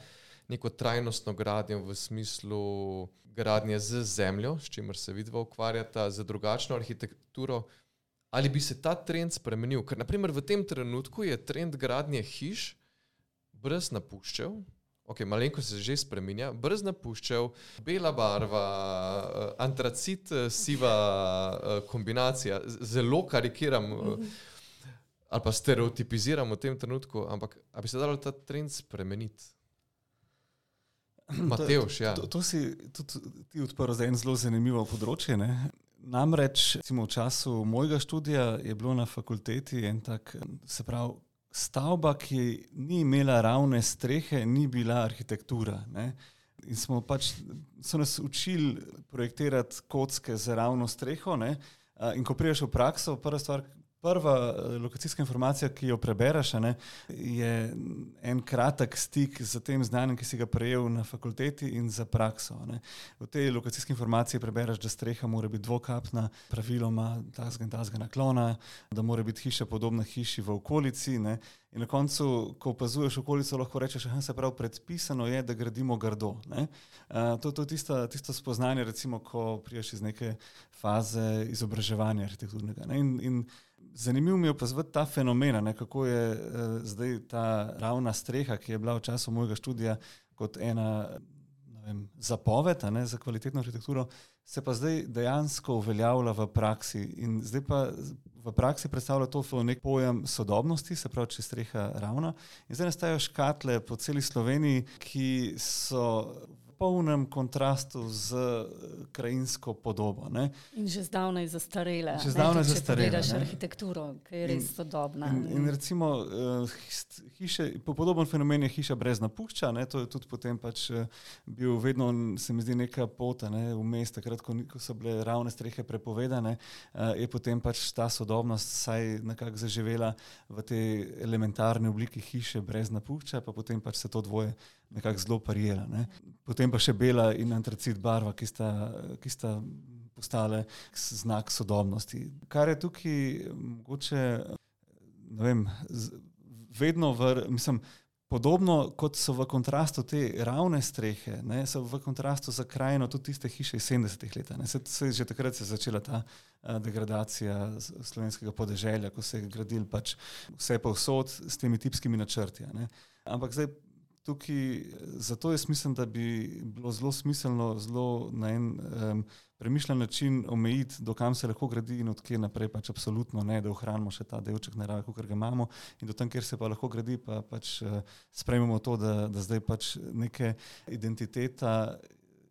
neko trajnostno gradnjo v smislu gradnje z zemljo, s čimer se vidva ukvarjata, z drugačno arhitekturo, ali bi se ta trend spremenil? Ker naprimer v tem trenutku je trend gradnje hiš brez napuščev, ok, malenko se že spreminja, brez napuščev, bela barva, antracit, siva kombinacija, zelo karikiram mm-hmm. ali pa stereotipiziram v tem trenutku, ampak a bi se dalo ta trend spremeniti? Matevž, ja. To, to, to si tudi ti odprl za en zelo zanimivo področje. Ne? Namreč, recimo v času mojega študija je bilo na fakulteti en tak, se pravi, stavba, ki ni imela ravne strehe, ni bila arhitektura. Ne? In smo pač, so nas učili projektirati kocke z ravno streho, ne? In ko priješ v prakso, prva stvar, prva lokacijska informacija, ki jo prebereš, ne, je en kratek stik z tem znanjem, ki si ga prejel na fakulteti in za prakso. Ne. V tej lokacijski informaciji prebereš, da streha mora biti dvokapna, praviloma tazga in tazga naklona, da mora biti hiša podobna hiši v okolici. Ne. In na koncu, ko opazuješ okolico, lahko rečeš, da se pravi predpisano je, da gradimo grdo. Ne. Uh, to je tisto, tisto spoznanje, recimo, ko priješ iz neke faze izobraževanja arhitekturnega. Ne. In, in zanimivo mi je opazovati ta fenomena, ne, kako je uh, zdaj ta ravna streha, ki je bila v času mojega študija kot ena vem, zapoved a ne, za kvalitetno arhitekturo, se pa zdaj dejansko uveljavlja v praksi. In zdaj pa v praksi predstavlja to nek pojem sodobnosti, se pravi, če je streha ravna. In zdaj nastajajo škatle po celi Sloveniji, ki so v polnem kontrastu z krajinsko podobo. Ne. In že zdavnaj zastarela. Že zdavnaj ne, zastarela. Če pogledaš arhitekturo, ki je res sodobna. In, in recimo hiše, podoben fenomen je hiša brez napušča, ne, to je tudi potem pač bil vedno, se mi zdi, neka pota, ne, vmes, takrat, ko, ko so bile ravne strehe prepovedane, je potem pač ta sodobnost saj nekako zaživela v tej elementarni obliki hiše brez napušča, pa potem pač se to dvoje nekako zelo parijela. Ne. Potem pa še bela in antracit barva, ki sta, ki sta postale znak sodobnosti. Kar je tukaj mogoče, ne vem, vedno v, mislim, podobno kot so v kontrastu te ravne strehe, ne, so v kontrastu za krajino tudi tiste hiše iz sedemdesetih let. Ne. Se, se, že takrat se je začela ta a, degradacija slovenskega podeželja, ko se je gradil pač vse povsod s temi tipskimi načrti. Ne. Ampak zdaj tukaj, zato jaz mislim, da bi bilo zelo smiselno, zelo na en um, premišljen način omejiti, do kam se lahko gradi in od kje naprej pač absolutno ne, da ohranimo še ta delček narave, kakor ga imamo, in do tam, kjer se pa lahko gradi, pa pač uh, sprejmemo to, da, da zdaj pač neke identiteta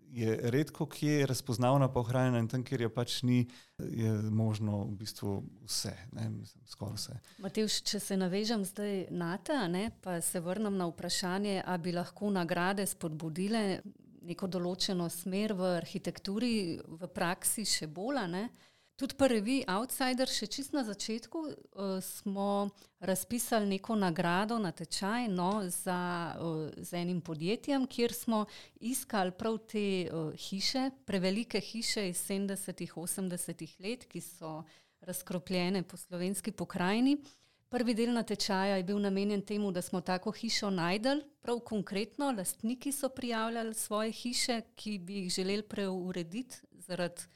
je redko kje razpoznavna pa ohranjena in tam, kjer je pač ni, je možno v bistvu vse, ne, mislim, skoraj vse. Matevž, če se navežem zdaj na te, ne, pa se vrnem na vprašanje, a bi lahko nagrade spodbudile neko določeno smer v arhitekturi, v praksi še bolj, ne. Tudi pri reviji Outsider, še čisto na začetku, uh, smo razpisali neko nagrado, natečaj, no, za, uh, z enim podjetjem, kjer smo iskali prav te uh, hiše, prevelike hiše iz sedemdesetih, osemdesetih let, ki so razkropljene po slovenski pokrajini. Prvi del natečaja je bil namenjen temu, da smo tako hišo najdeli, prav konkretno, lastniki so prijavljali svoje hiše, ki bi jih želeli preurediti zaradi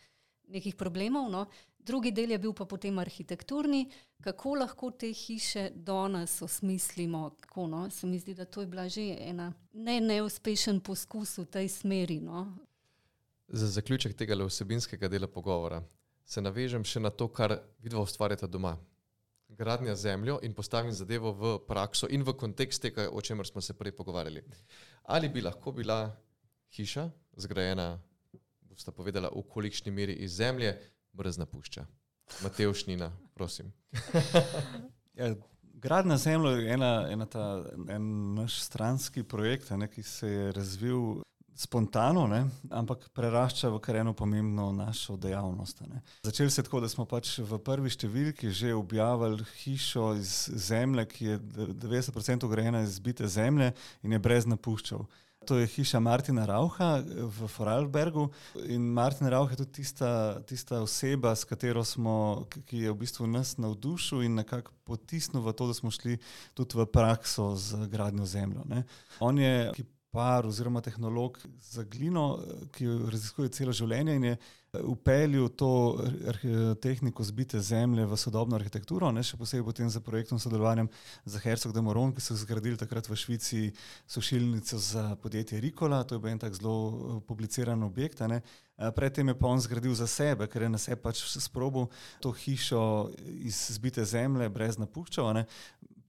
nekih problemov. No. Drugi del je bil pa potem arhitekturni, kako lahko te hiše danes osmislimo. Kako, no. Se mi zdi, da to je bila že ena ne neuspešen poskus v tej smeri. No. Za zaključek tega vsebinskega dela pogovora se navežem še na to, kar vidva ustvarjata doma. Gradnja zemljo in postavim zadevo v prakso in v kontekst tega, o čemer smo se prej pogovarjali. Ali bi lahko bila hiša zgrajena, bosta povedala, v kolikšni meri iz zemlje, brez napušča. Matevž, Nina, prosim. Ja, gradnja zemlje je ena, ena ta, en naš stranski projekt, ne, ki se je razvil spontano, ne, ampak prerašča v kar eno pomembno našo dejavnost. Ne. Začeli se tako, da smo pač v prvi številki že objavili hišo iz zemlje, ki je devetdeset procentov grajena iz zbite zemlje in je brez napuščav. To je hiša Martina Raucha v Vorarlbergu in Martin Rauch je tudi tista, tista oseba, s katero smo, ki je v bistvu nas navdušil in nekako potisnil v to, da smo šli tudi v prakso z gradnjo zemljo. Ne. On je kipar oziroma tehnolog za glino, ki jo raziskuje celo življenje in je upeljal to tehniko zbite zemlje v sodobno arhitekturo, ne, še posebej potem za projektom sodelovanjem za Herzog de Meuron, ki so zgradili takrat v Švici sušilnico za podjetje Ricola, to je bil en tak zelo publiciran objekt. Ne. Predtem je pa on zgradil za sebe, ker je na sebe pač sprobil to hišo iz zbite zemlje brez napuščav, ne.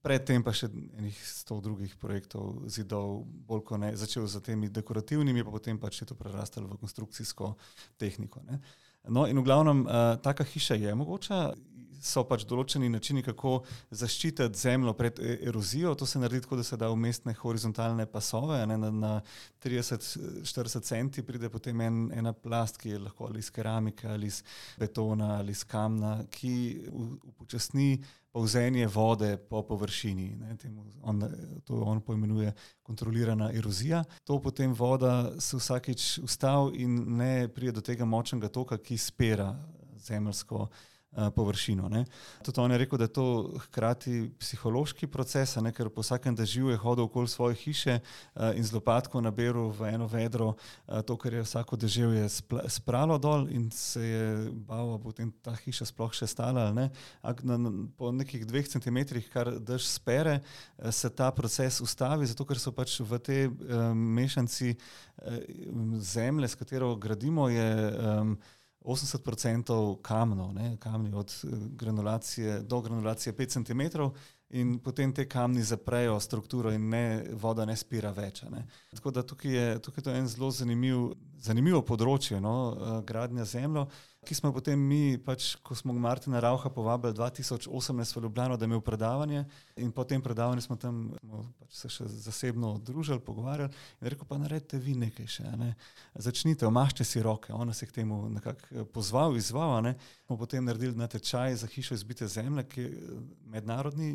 Predtem pa še enih sto drugih projektov zidov, bolj ko ne, začel z temi dekorativnimi, pa potem pač je to prerastalo v konstrukcijsko tehniko. Ne. No in v glavnem, uh, taka hiša je mogoča, so pač določeni načini, kako zaščititi zemljo pred erozijo. To se naredi tako, da se da umestne horizontalne pasove, ne, na, na trideset do štirideset centi pride potem en, ena plast, ki je lahko ali iz keramike, ali iz betona, ali iz kamna, ki upočasni polzenje vode po površini. Ne, temu on, to on poimenuje kontrolirana erozija. To potem voda se vsakič ustavi in ne pride do tega močnega toka, ki spira zemeljsko površino. Ne. Tudi on je rekel, da je to hkrati psihološki proces, ne, ker po vsakem dežju je hodil okoli svoje hiše in z lopatko naberal v eno vedro to, kar je vsako deževje spralo dol in se je bal, potem ta hiša sploh še stala. Ne. Na, na, po nekih dveh centimetrih, kar dež spere, se ta proces ustavi, zato ker so pač v te um, mešanci um, zemlje, s katero gradimo, je um, osemdeset procentov kamnov, ne, kamni od granulacije do granulacije pet centimetrov in potem te kamni zaprejo strukturo in ne, voda ne spira več. Ne. Tako da tukaj je, tukaj je to en zelo zanimiv, zanimivo področje, no, gradnja zemljo, ki smo potem mi, pač, ko smo Martina Rauha povabili dva tisoč osemnajst v Ljubljano, da je imel predavanje in po tem predavanju smo tam smo pač se še zasebno družili, pogovarjali in rekel, pa naredite vi nekaj še, ne. Začnite, omaščite si roke. On nas je k temu nekako pozval, izval, ne. Smo potem naredili natečaj za hišo izbite zemlje, ki je mednarodni,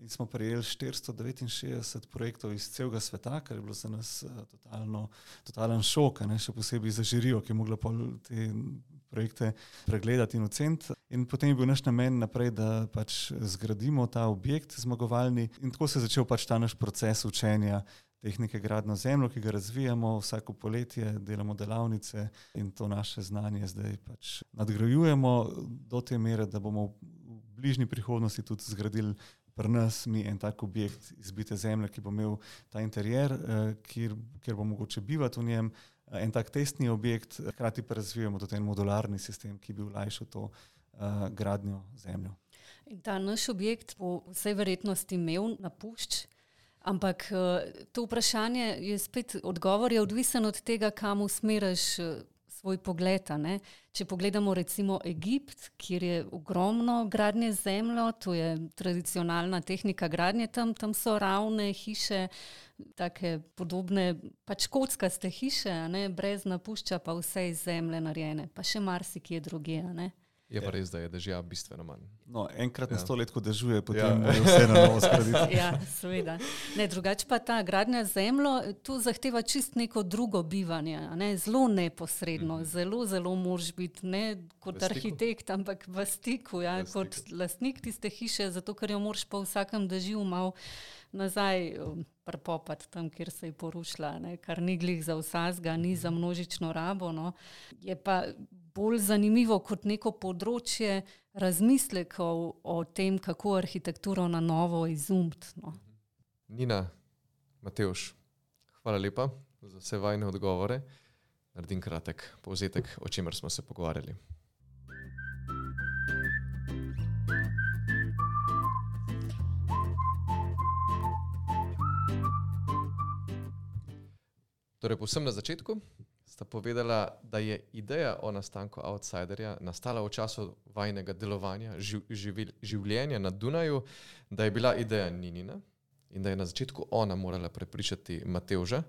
in smo prejeli štiristo devetinšestdeset projektov iz celega sveta, kar je bilo za nas totalno, totalen šok, ne, še posebej za žirijo, ki je mogla te projekte pregledati in oceniti. In potem je bil naš namen naprej, da pač zgradimo ta objekt zmagovalni in tako se je začel pač ta naš proces učenja tehnike gradnjo zemljo, ki ga razvijamo vsako poletje, delamo delavnice in to naše znanje zdaj pač nadgrajujemo do te mere, da bomo v bližnji prihodnosti tudi zgradili pri nas mi en tak objekt izbite zemlje, ki bo imel ta interjer, kjer, kjer bo mogoče bivati v njem, en tak testni objekt, hkrati pa razvijamo tudi en modularni sistem, ki bi olajšal to uh, gradnjo zemljo. In ta naš objekt bo vsej verjetnosti imel napušč, ampak to vprašanje je spet, odgovor je odvisen od tega, kam usmeriš svoj pogled. Ne? Če pogledamo recimo Egipt, kjer je ogromno gradnje z zemljo, to je tradicionalna tehnika gradnje tam, tam so ravne hiše, take podobne, pač kockaste hiše, ne? Brez napušča, pa vse iz zemlje narejene, pa še marsikje drugje, ne? Je pa res, da je dežja bistveno manj. No, enkrat na Ja. sto let, ko dežuje, potem Ja. mora vse na novo zgraditi. Ja, seveda. Ne, drugače pa ta gradnja z zemljo, tu zahteva čist neko drugo bivanje, a ne, zelo neposredno, Mhm. zelo, zelo moraš biti ne kot V stiku. arhitekt, ampak v stiku, ja, V kot stiku. lastnik tiste hiše, zato ker jo moraš po vsakem dežju malo nazaj um, prepopati tam, kjer se je porušila, ne, kar ni glih za vsazga, ni za množično rabo, no. Je pa bolj zanimivo kot neko področje razmislekov o tem, kako arhitekturo na novo izumiti. No. Nina, Matevž, hvala lepa za vse vajne odgovore. Naredim kratek povzetek, o čemer smo se pogovarjali. Torej, povsem na začetku sta povedala, da je ideja o nastanku Outsiderja nastala v času vajnega delovanja, živ, živil, življenja na Dunaju, da je bila ideja Ninina in da je na začetku ona morala prepričati Matevža.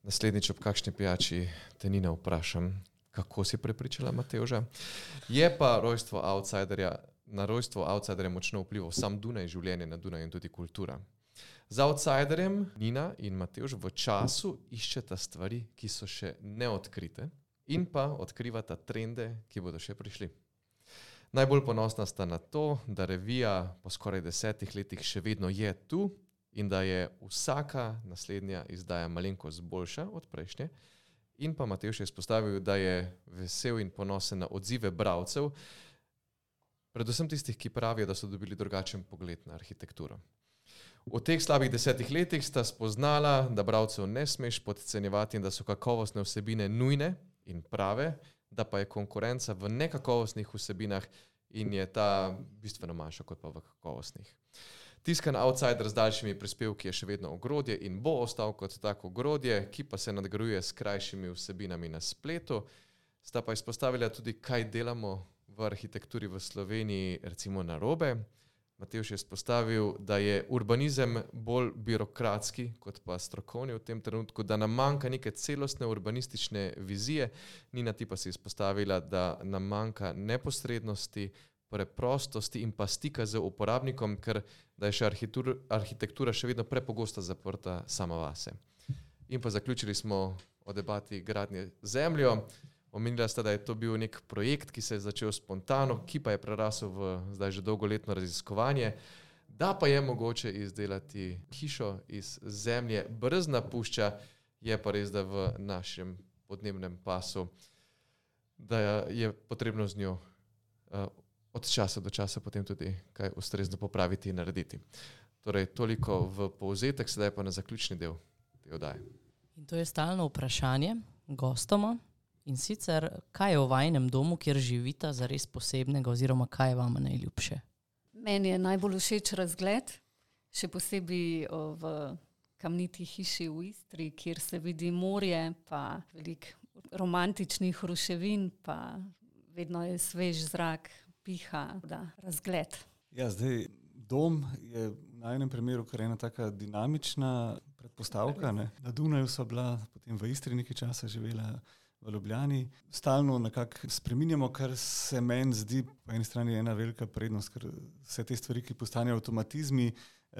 Naslednjič ob kakšni pijači te Nina vprašam, kako si prepričala Matevža. Je pa rojstvo Outsiderja, na rojstvo Outsiderja močno vplival sam Dunaj, življenje na Dunaju in tudi kultura. Z Outsiderjem Nina in Matevž v času iščeta stvari, ki so še neodkrite in pa odkrivata trende, ki bodo še prišli. Najbolj ponosna sta na to, da revija po skoraj desetih letih še vedno je tu in da je vsaka naslednja izdaja malenkost boljša od prejšnje. In pa Matevž je izpostavil, da je vesel in ponosen na odzive bralcev, predvsem tistih, ki pravijo, da so dobili drugačen pogled na arhitekturo. V teh slabih desetih letih sta spoznala, da bralcev ne smeš podcenjevati in da so kakovostne vsebine nujne in prave, da pa je konkurenca v nekakovostnih vsebinah in je ta bistveno manjša kot pa v kakovostnih. Tiskan Outsider z daljšimi prispevki je še vedno ogrodje in bo ostal kot tako ogrodje, ki pa se nadgrajuje s krajšimi vsebinami na spletu. Sta pa izpostavila tudi, kaj delamo v arhitekturi v Sloveniji recimo narobe. Matevž je izpostavil, da je urbanizem bolj birokratski kot pa strokovni v tem trenutku, da nam manjka neke celostne urbanistične vizije. Nina ti pa si izpostavila, da nam manjka neposrednosti, preprostosti in pa stika z uporabnikom, ker da je še arhitektura, arhitektura še vedno prepogosto zaprta sama vase. In pa zaključili smo o debati gradnje z zemljo. Omenila sta, da je to bil nek projekt, ki se je začel spontano, ki pa je prerasel v zdaj že dolgoletno raziskovanje, da pa je mogoče izdelati hišo iz zemlje brez napušča, je pa res, da v našem podnebnem pasu, da je potrebno z njo uh, od časa do časa potem tudi kaj ustrezno popraviti in narediti. Torej, toliko v povzetek, sedaj pa na zaključni del te oddaje. In to je stalno vprašanje gostoma. In sicer, kaj je v vajinem domu, kjer živita, zares posebnega oziroma kaj je vama najljubše? Meni je najbolj všeč razgled, še posebej v kamniti hiši v Istri, kjer se vidi morje, pa veliko romantičnih ruševin, pa vedno je svež zrak, piha, da, razgled. Ja, zdaj, dom je v najnem primeru kar ena taka dinamična predpostavka. Ne? Na Dunaju sva bila, potem v Istri nekaj časa živela, v Ljubljani. Stalno nekako spreminjamo, kar se meni zdi po eni strani ena velika prednost, ker vse te stvari, ki postanejo avtomatizmi,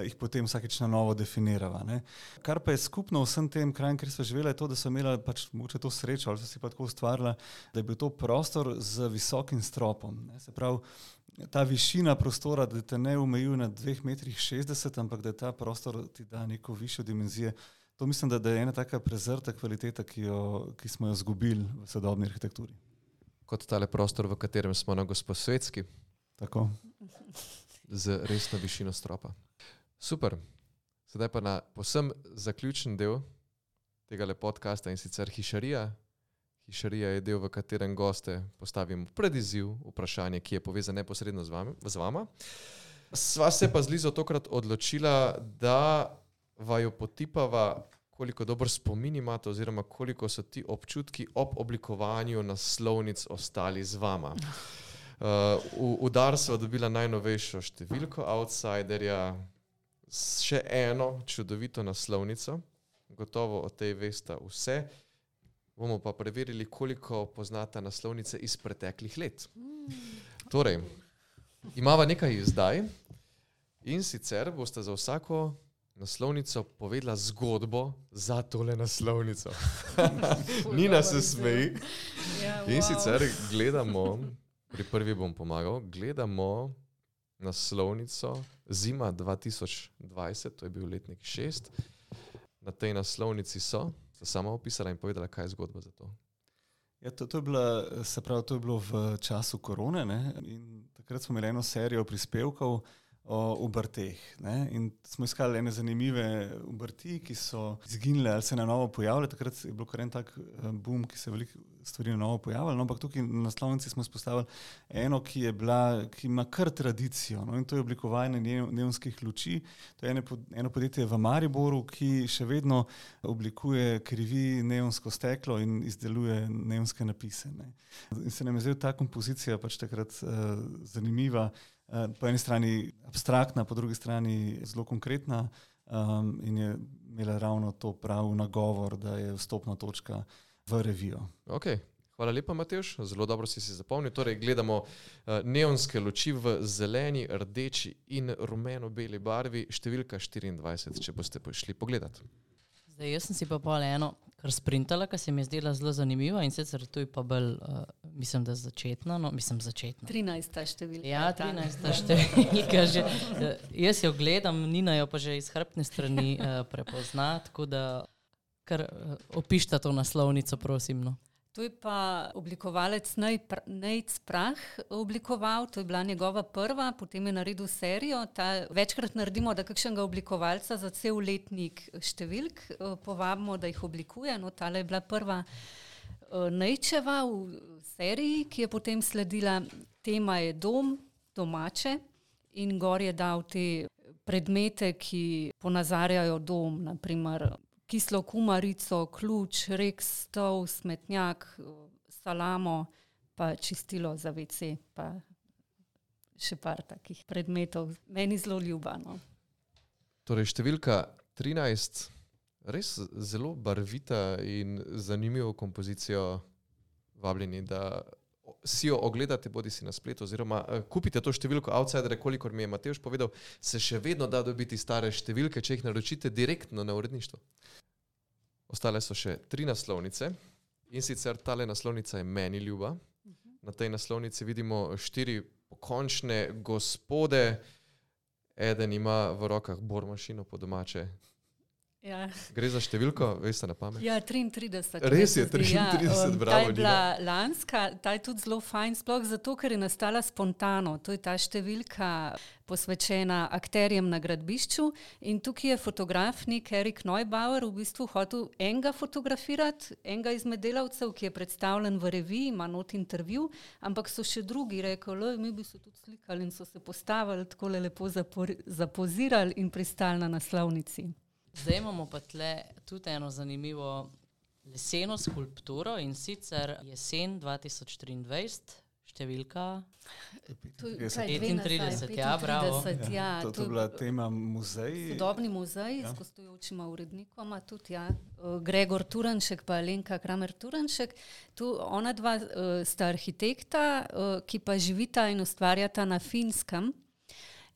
jih potem vsakeč na novo definirava. Ne. Kar pa je skupno vsem tem krajem, kjer so živela, je to, da so imela pač mogoče to srečo, ali so si pa tako ustvarila, da je bil to prostor z visokim stropom. Ne. Se pravi, ta višina prostora, da te ne omejuje na dveh metrih šestdeset, ampak da ta prostor ti da neko višjo dimenzijo. To mislim, da, da je ena taka prezrta kvaliteta, ki, jo, ki smo jo zgubili v sodobni arhitekturi. Kot tale prostor, v katerem smo na Gosposvetski. Tako. Z resno višino stropa. Super. Sedaj pa na povsem zaključen del tega podcasta in sicer hišarija. Hišarija je del, v katerem goste postavimo pred izziv vprašanje, ki je povezano neposredno z, vami, z vama. Sva se pa z Lizo tokrat odločila, da vaju potipava, koliko dober spomin imate oziroma koliko so ti občutki ob oblikovanju naslovnic ostali z vama. Uh, v, v dar sva dobila najnovejšo številko Outsiderja, še eno čudovito naslovnico, gotovo o tej veste vse. Bomo pa preverili, koliko poznata naslovnice iz preteklih let. Torej, imava nekaj zdaj in sicer boste za vsako naslovnico povedala zgodbo za tole naslovnico. Nina se smeji. Ja, in wow. sicer gledamo, pri prvi bom pomagal, gledamo naslovnico Zima dva tisoč dvajset, to je bil letnik šest. Na tej naslovnici so, so sama opisala in povedala, kaj je zgodba za to. Ja, to, to, je bila, se pravi, to je bilo v času korone, ne? In takrat smo imeli eno serijo prispevkov o obrteh. Ne? In smo iskali ene zanimive obrti, ki so izginile ali se na novo pojavile. Takrat je bilo kar en tak boom, ki se je veliko stvari na novo pojavilo. No, ampak tukaj na naslovnici smo spostavili eno, ki je bila, ki ima kar tradicijo. No? In to je oblikovanje neonskih luči. To je ene, eno podjetje v Mariboru, ki še vedno oblikuje, krivi neonsko steklo in izdeluje neonske napise. Ne? In se nam je zdaj ta kompozicija pač takrat uh, zanimiva. Po eni strani abstraktna, po drugi strani zelo konkretna um, in je imela ravno to prav nagovor, da je vstopna točka v revijo. Ok, hvala lepa, Matevž, zelo dobro si si zapomnil. Torej, gledamo uh, neonske luči v zeleni, rdeči in rumeno-beli barvi, številka štiriindvajset, če boste prišli pogledat. Zdaj, jaz sem si pa pol eno kar sprintala, kar se mi je zdela zelo zanimiva in sicer tu je pa bolj, uh, mislim, da začetna, no, mislim, začetna. trinajsta številka. Ja, trinajsta številka že. Uh, jaz jo gledam, Nina jo pa že iz hrbtne strani uh, prepozna, tako da kar uh, opišta to naslovnico, prosim, no. To je pa oblikovalec Nejc Prah oblikoval, to je bila njegova prva, potem je naredil serijo. Ta, večkrat naredimo, da kakšnega oblikovalca za cel letnik številk povabimo, da jih oblikuje. No, tale je bila prva Nejčeva v seriji, ki je potem sledila. Tema je dom, domače in gor je dal te predmete, ki ponazarjajo dom, naprimer kislo kumarico, ključ, rek, stol, smetnjak, salamo, pa čistilo za ve ce, pa še par takih predmetov. Meni zelo ljubano. Torej, številka trinajst, res zelo barvita in zanimivo kompozicijo, vabljeni, da si jo ogledate, bodi si na spletu, oziroma kupite to številko Outsidere, kolikor mi je Matevž povedal, se še vedno da dobiti stare številke, če jih naročite direktno na uredništvo. Ostale so še tri naslovnice In sicer tale naslovnica je meni ljuba. Na tej naslovnici vidimo štiri pokončne gospode. Eden ima v rokah bormašino po domače. Ja. Gre za številko, veste na pamet? Ja, triintrideset. Res je, triintrideset, ja. bravo. Ta je bila lanska, ta je tudi zelo fajn, sploh zato, ker je nastala spontano. To je ta številka posvečena akterjem na gradbišču in tukaj je fotograf nek Erik Neubauer v bistvu hotel enega fotografirati, enega izmed delavcev, ki je predstavljen v reviji, ima not intervju, ampak so še drugi rekli, mi bi se tudi slikali in so se postavili, takole lepo zapor, zapozirali in pristali na naslovnici. Zdaj imamo pa tle tudi eno zanimivo leseno skulpturo in sicer jesen dva tisoč triindvajset, številka petintrideset, ja, bravo. Ja, to je bila tema muzej. Sodobni muzej ja. S gostujočima urednikoma, tudi ja, Gregor Turanšek pa Alenka Kramer Turanšek. Tu ona dva uh, sta arhitekta, uh, ki pa živita in ustvarjata na Finskem.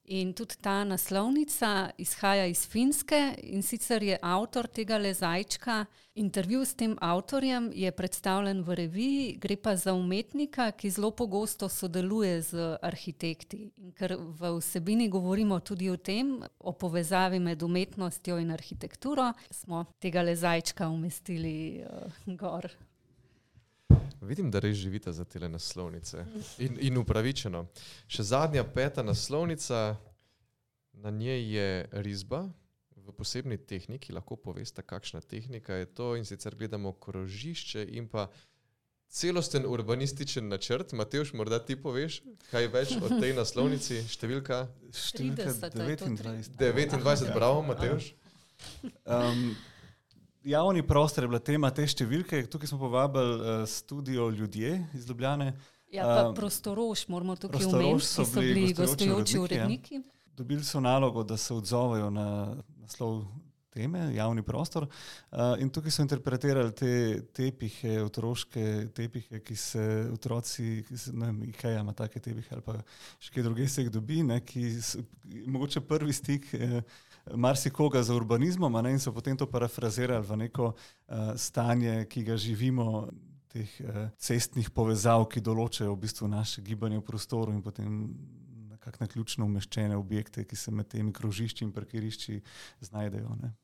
In tudi ta naslovnica izhaja iz Finske in sicer je avtor tega lezajčka. Intervju s tem avtorjem je predstavljen v reviji, gre pa za umetnika, ki zelo pogosto sodeluje z arhitekti. In ker v vsebini govorimo tudi o tem, o povezavi med umetnostjo in arhitekturo, smo tega lezajčka umestili uh, gor. Vidim, da res živite za tele naslovnice. In, in upravičeno. Še zadnja peta naslovnica, na njej je risba v posebni tehniki. Lahko poveste, kakšna tehnika je to. In sicer gledamo krožišče in pa celosten urbanističen načrt. Matevž, morda ti poveš, kaj več o tej naslovnici? Številka? Številka devetindvajset. devetindvajset, bravo, Matevž. Um, Javni prostor je bila tema te številke. Tukaj smo povabili uh, studio Ljudje iz Ljubljane. Ja, pa uh, Prostorož, moramo tukaj omeniti, ki so bili gostujoči uredniki. Ja. Dobili so nalogo, da se odzovejo na naslov teme, javni prostor. Uh, in tukaj so interpretirali te tepihe, otroške tepihe, ki se otroci, ki se, ne vem, Ikea ima take tepihe ali pa še kaj druge se jih dobi, ne, ki so, mogoče prvi stik eh, marsikoga za urbanizmom, a ne, in so potem to parafrazirali v neko uh, stanje, ki ga živimo, teh uh, cestnih povezav, ki določajo v bistvu naše gibanje v prostoru in potem nekako na ključno umeščene objekte, ki se med temi krožišči in parkirišči znajdejo. Ne.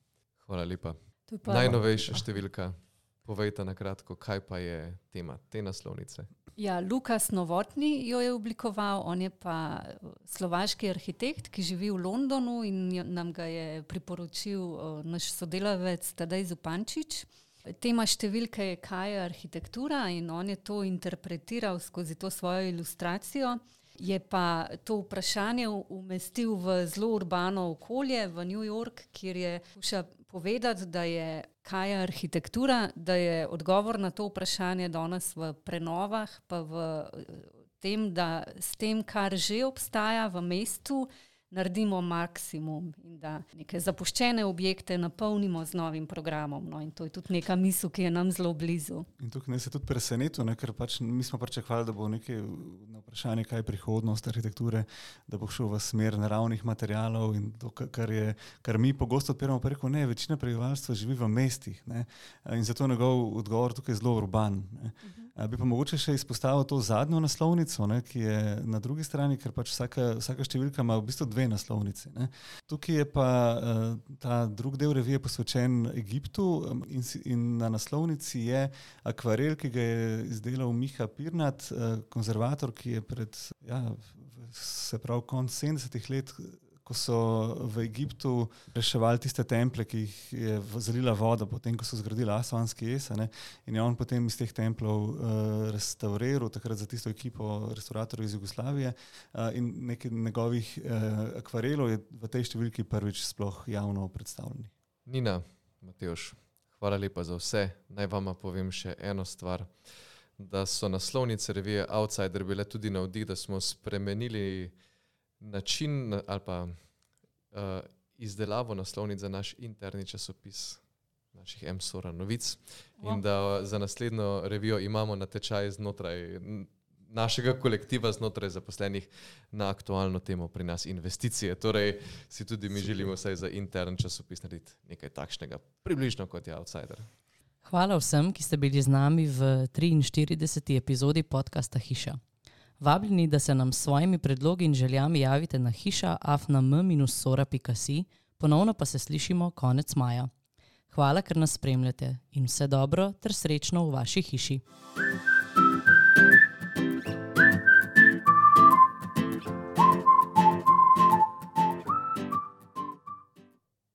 Hvala lepa. Pa Najnovejša številka. Povejte na kratko, kaj pa je tema te naslovnice. Ja, Lukas Novotny jo je oblikoval, on je pa slovaški arhitekt, ki živi v Londonu in nam ga je priporočil uh, naš sodelavec Tadej Zupančič. Tema številke je, kaj je arhitektura in on je to interpretiral skozi to svojo ilustracijo. Je pa to vprašanje umestil v zelo urbano okolje, v New York, kjer je skuša povedati, da je kaj je arhitektura, da je odgovor na to vprašanje danes v prenovah, pa v tem, da s tem, kar že obstaja v mestu, naredimo maksimum in da neke zapuščene objekte napolnimo z novim programom. No, in to je tudi neka misel, ki je nam zelo blizu. In tukaj ne se tudi presenetil, ne, ker pač mi smo pričakovali, da bo nekaj na vprašanje, kaj je prihodnost arhitekture, da bo šel v smer naravnih materialov in to, kar, je, kar mi pogosto odpiramo, pa rekel, ne, večina prebivalstva živi v mestih, ne, in zato njegov odgovor tukaj je zelo urban. Ne. Uh-huh. Bi pa mogoče še izpostavil to zadnjo naslovnico, ne, ki je na drugi strani, ker pač vsaka, vsaka številka ima v bistvu dve naslovnici. Ne. Tukaj je pa uh, ta drug del revije posvečen Egiptu um, in, in na naslovnici je akvarel, ki ga je izdelal Miha Pirnat, uh, konzervator, ki je pred, ja, se pravi, konc sedemdesetih let, ko so v Egiptu reševali tiste temple, ki jih je zalila voda, potem, ko so zgradili Asvanski jez, ne, in je on potem iz teh templov uh, restauriral, takrat za tisto ekipo restauratorjev iz Jugoslavije, uh, in nekaj njegovih uh, akvarelov je v tej številki prvič sploh javno predstavljeni. Nina, Matevž, hvala lepa za vse. Naj vama povem še eno stvar, da so naslovnice revije Outsider bile tudi navdih, da smo spremenili način ali pa uh, izdelavo naslovnic za naš interni časopis naših M-Sora novic wow. In da za naslednjo revijo imamo natečaj znotraj našega kolektiva, znotraj zaposlenih na aktualno temo pri nas investicije. Torej si tudi mi želimo vsaj za intern časopis narediti nekaj takšnega, približno kot je Outsider. Hvala vsem, ki ste bili z nami v triinštirideseti epizodi podcasta Hiša. Vabljeni, da se nam s svojimi predlogi in željami javite na hiša afna m sora pika si, ponovno pa se slišimo konec maja. Hvala, ker nas spremljate in vse dobro ter srečno v vaši hiši.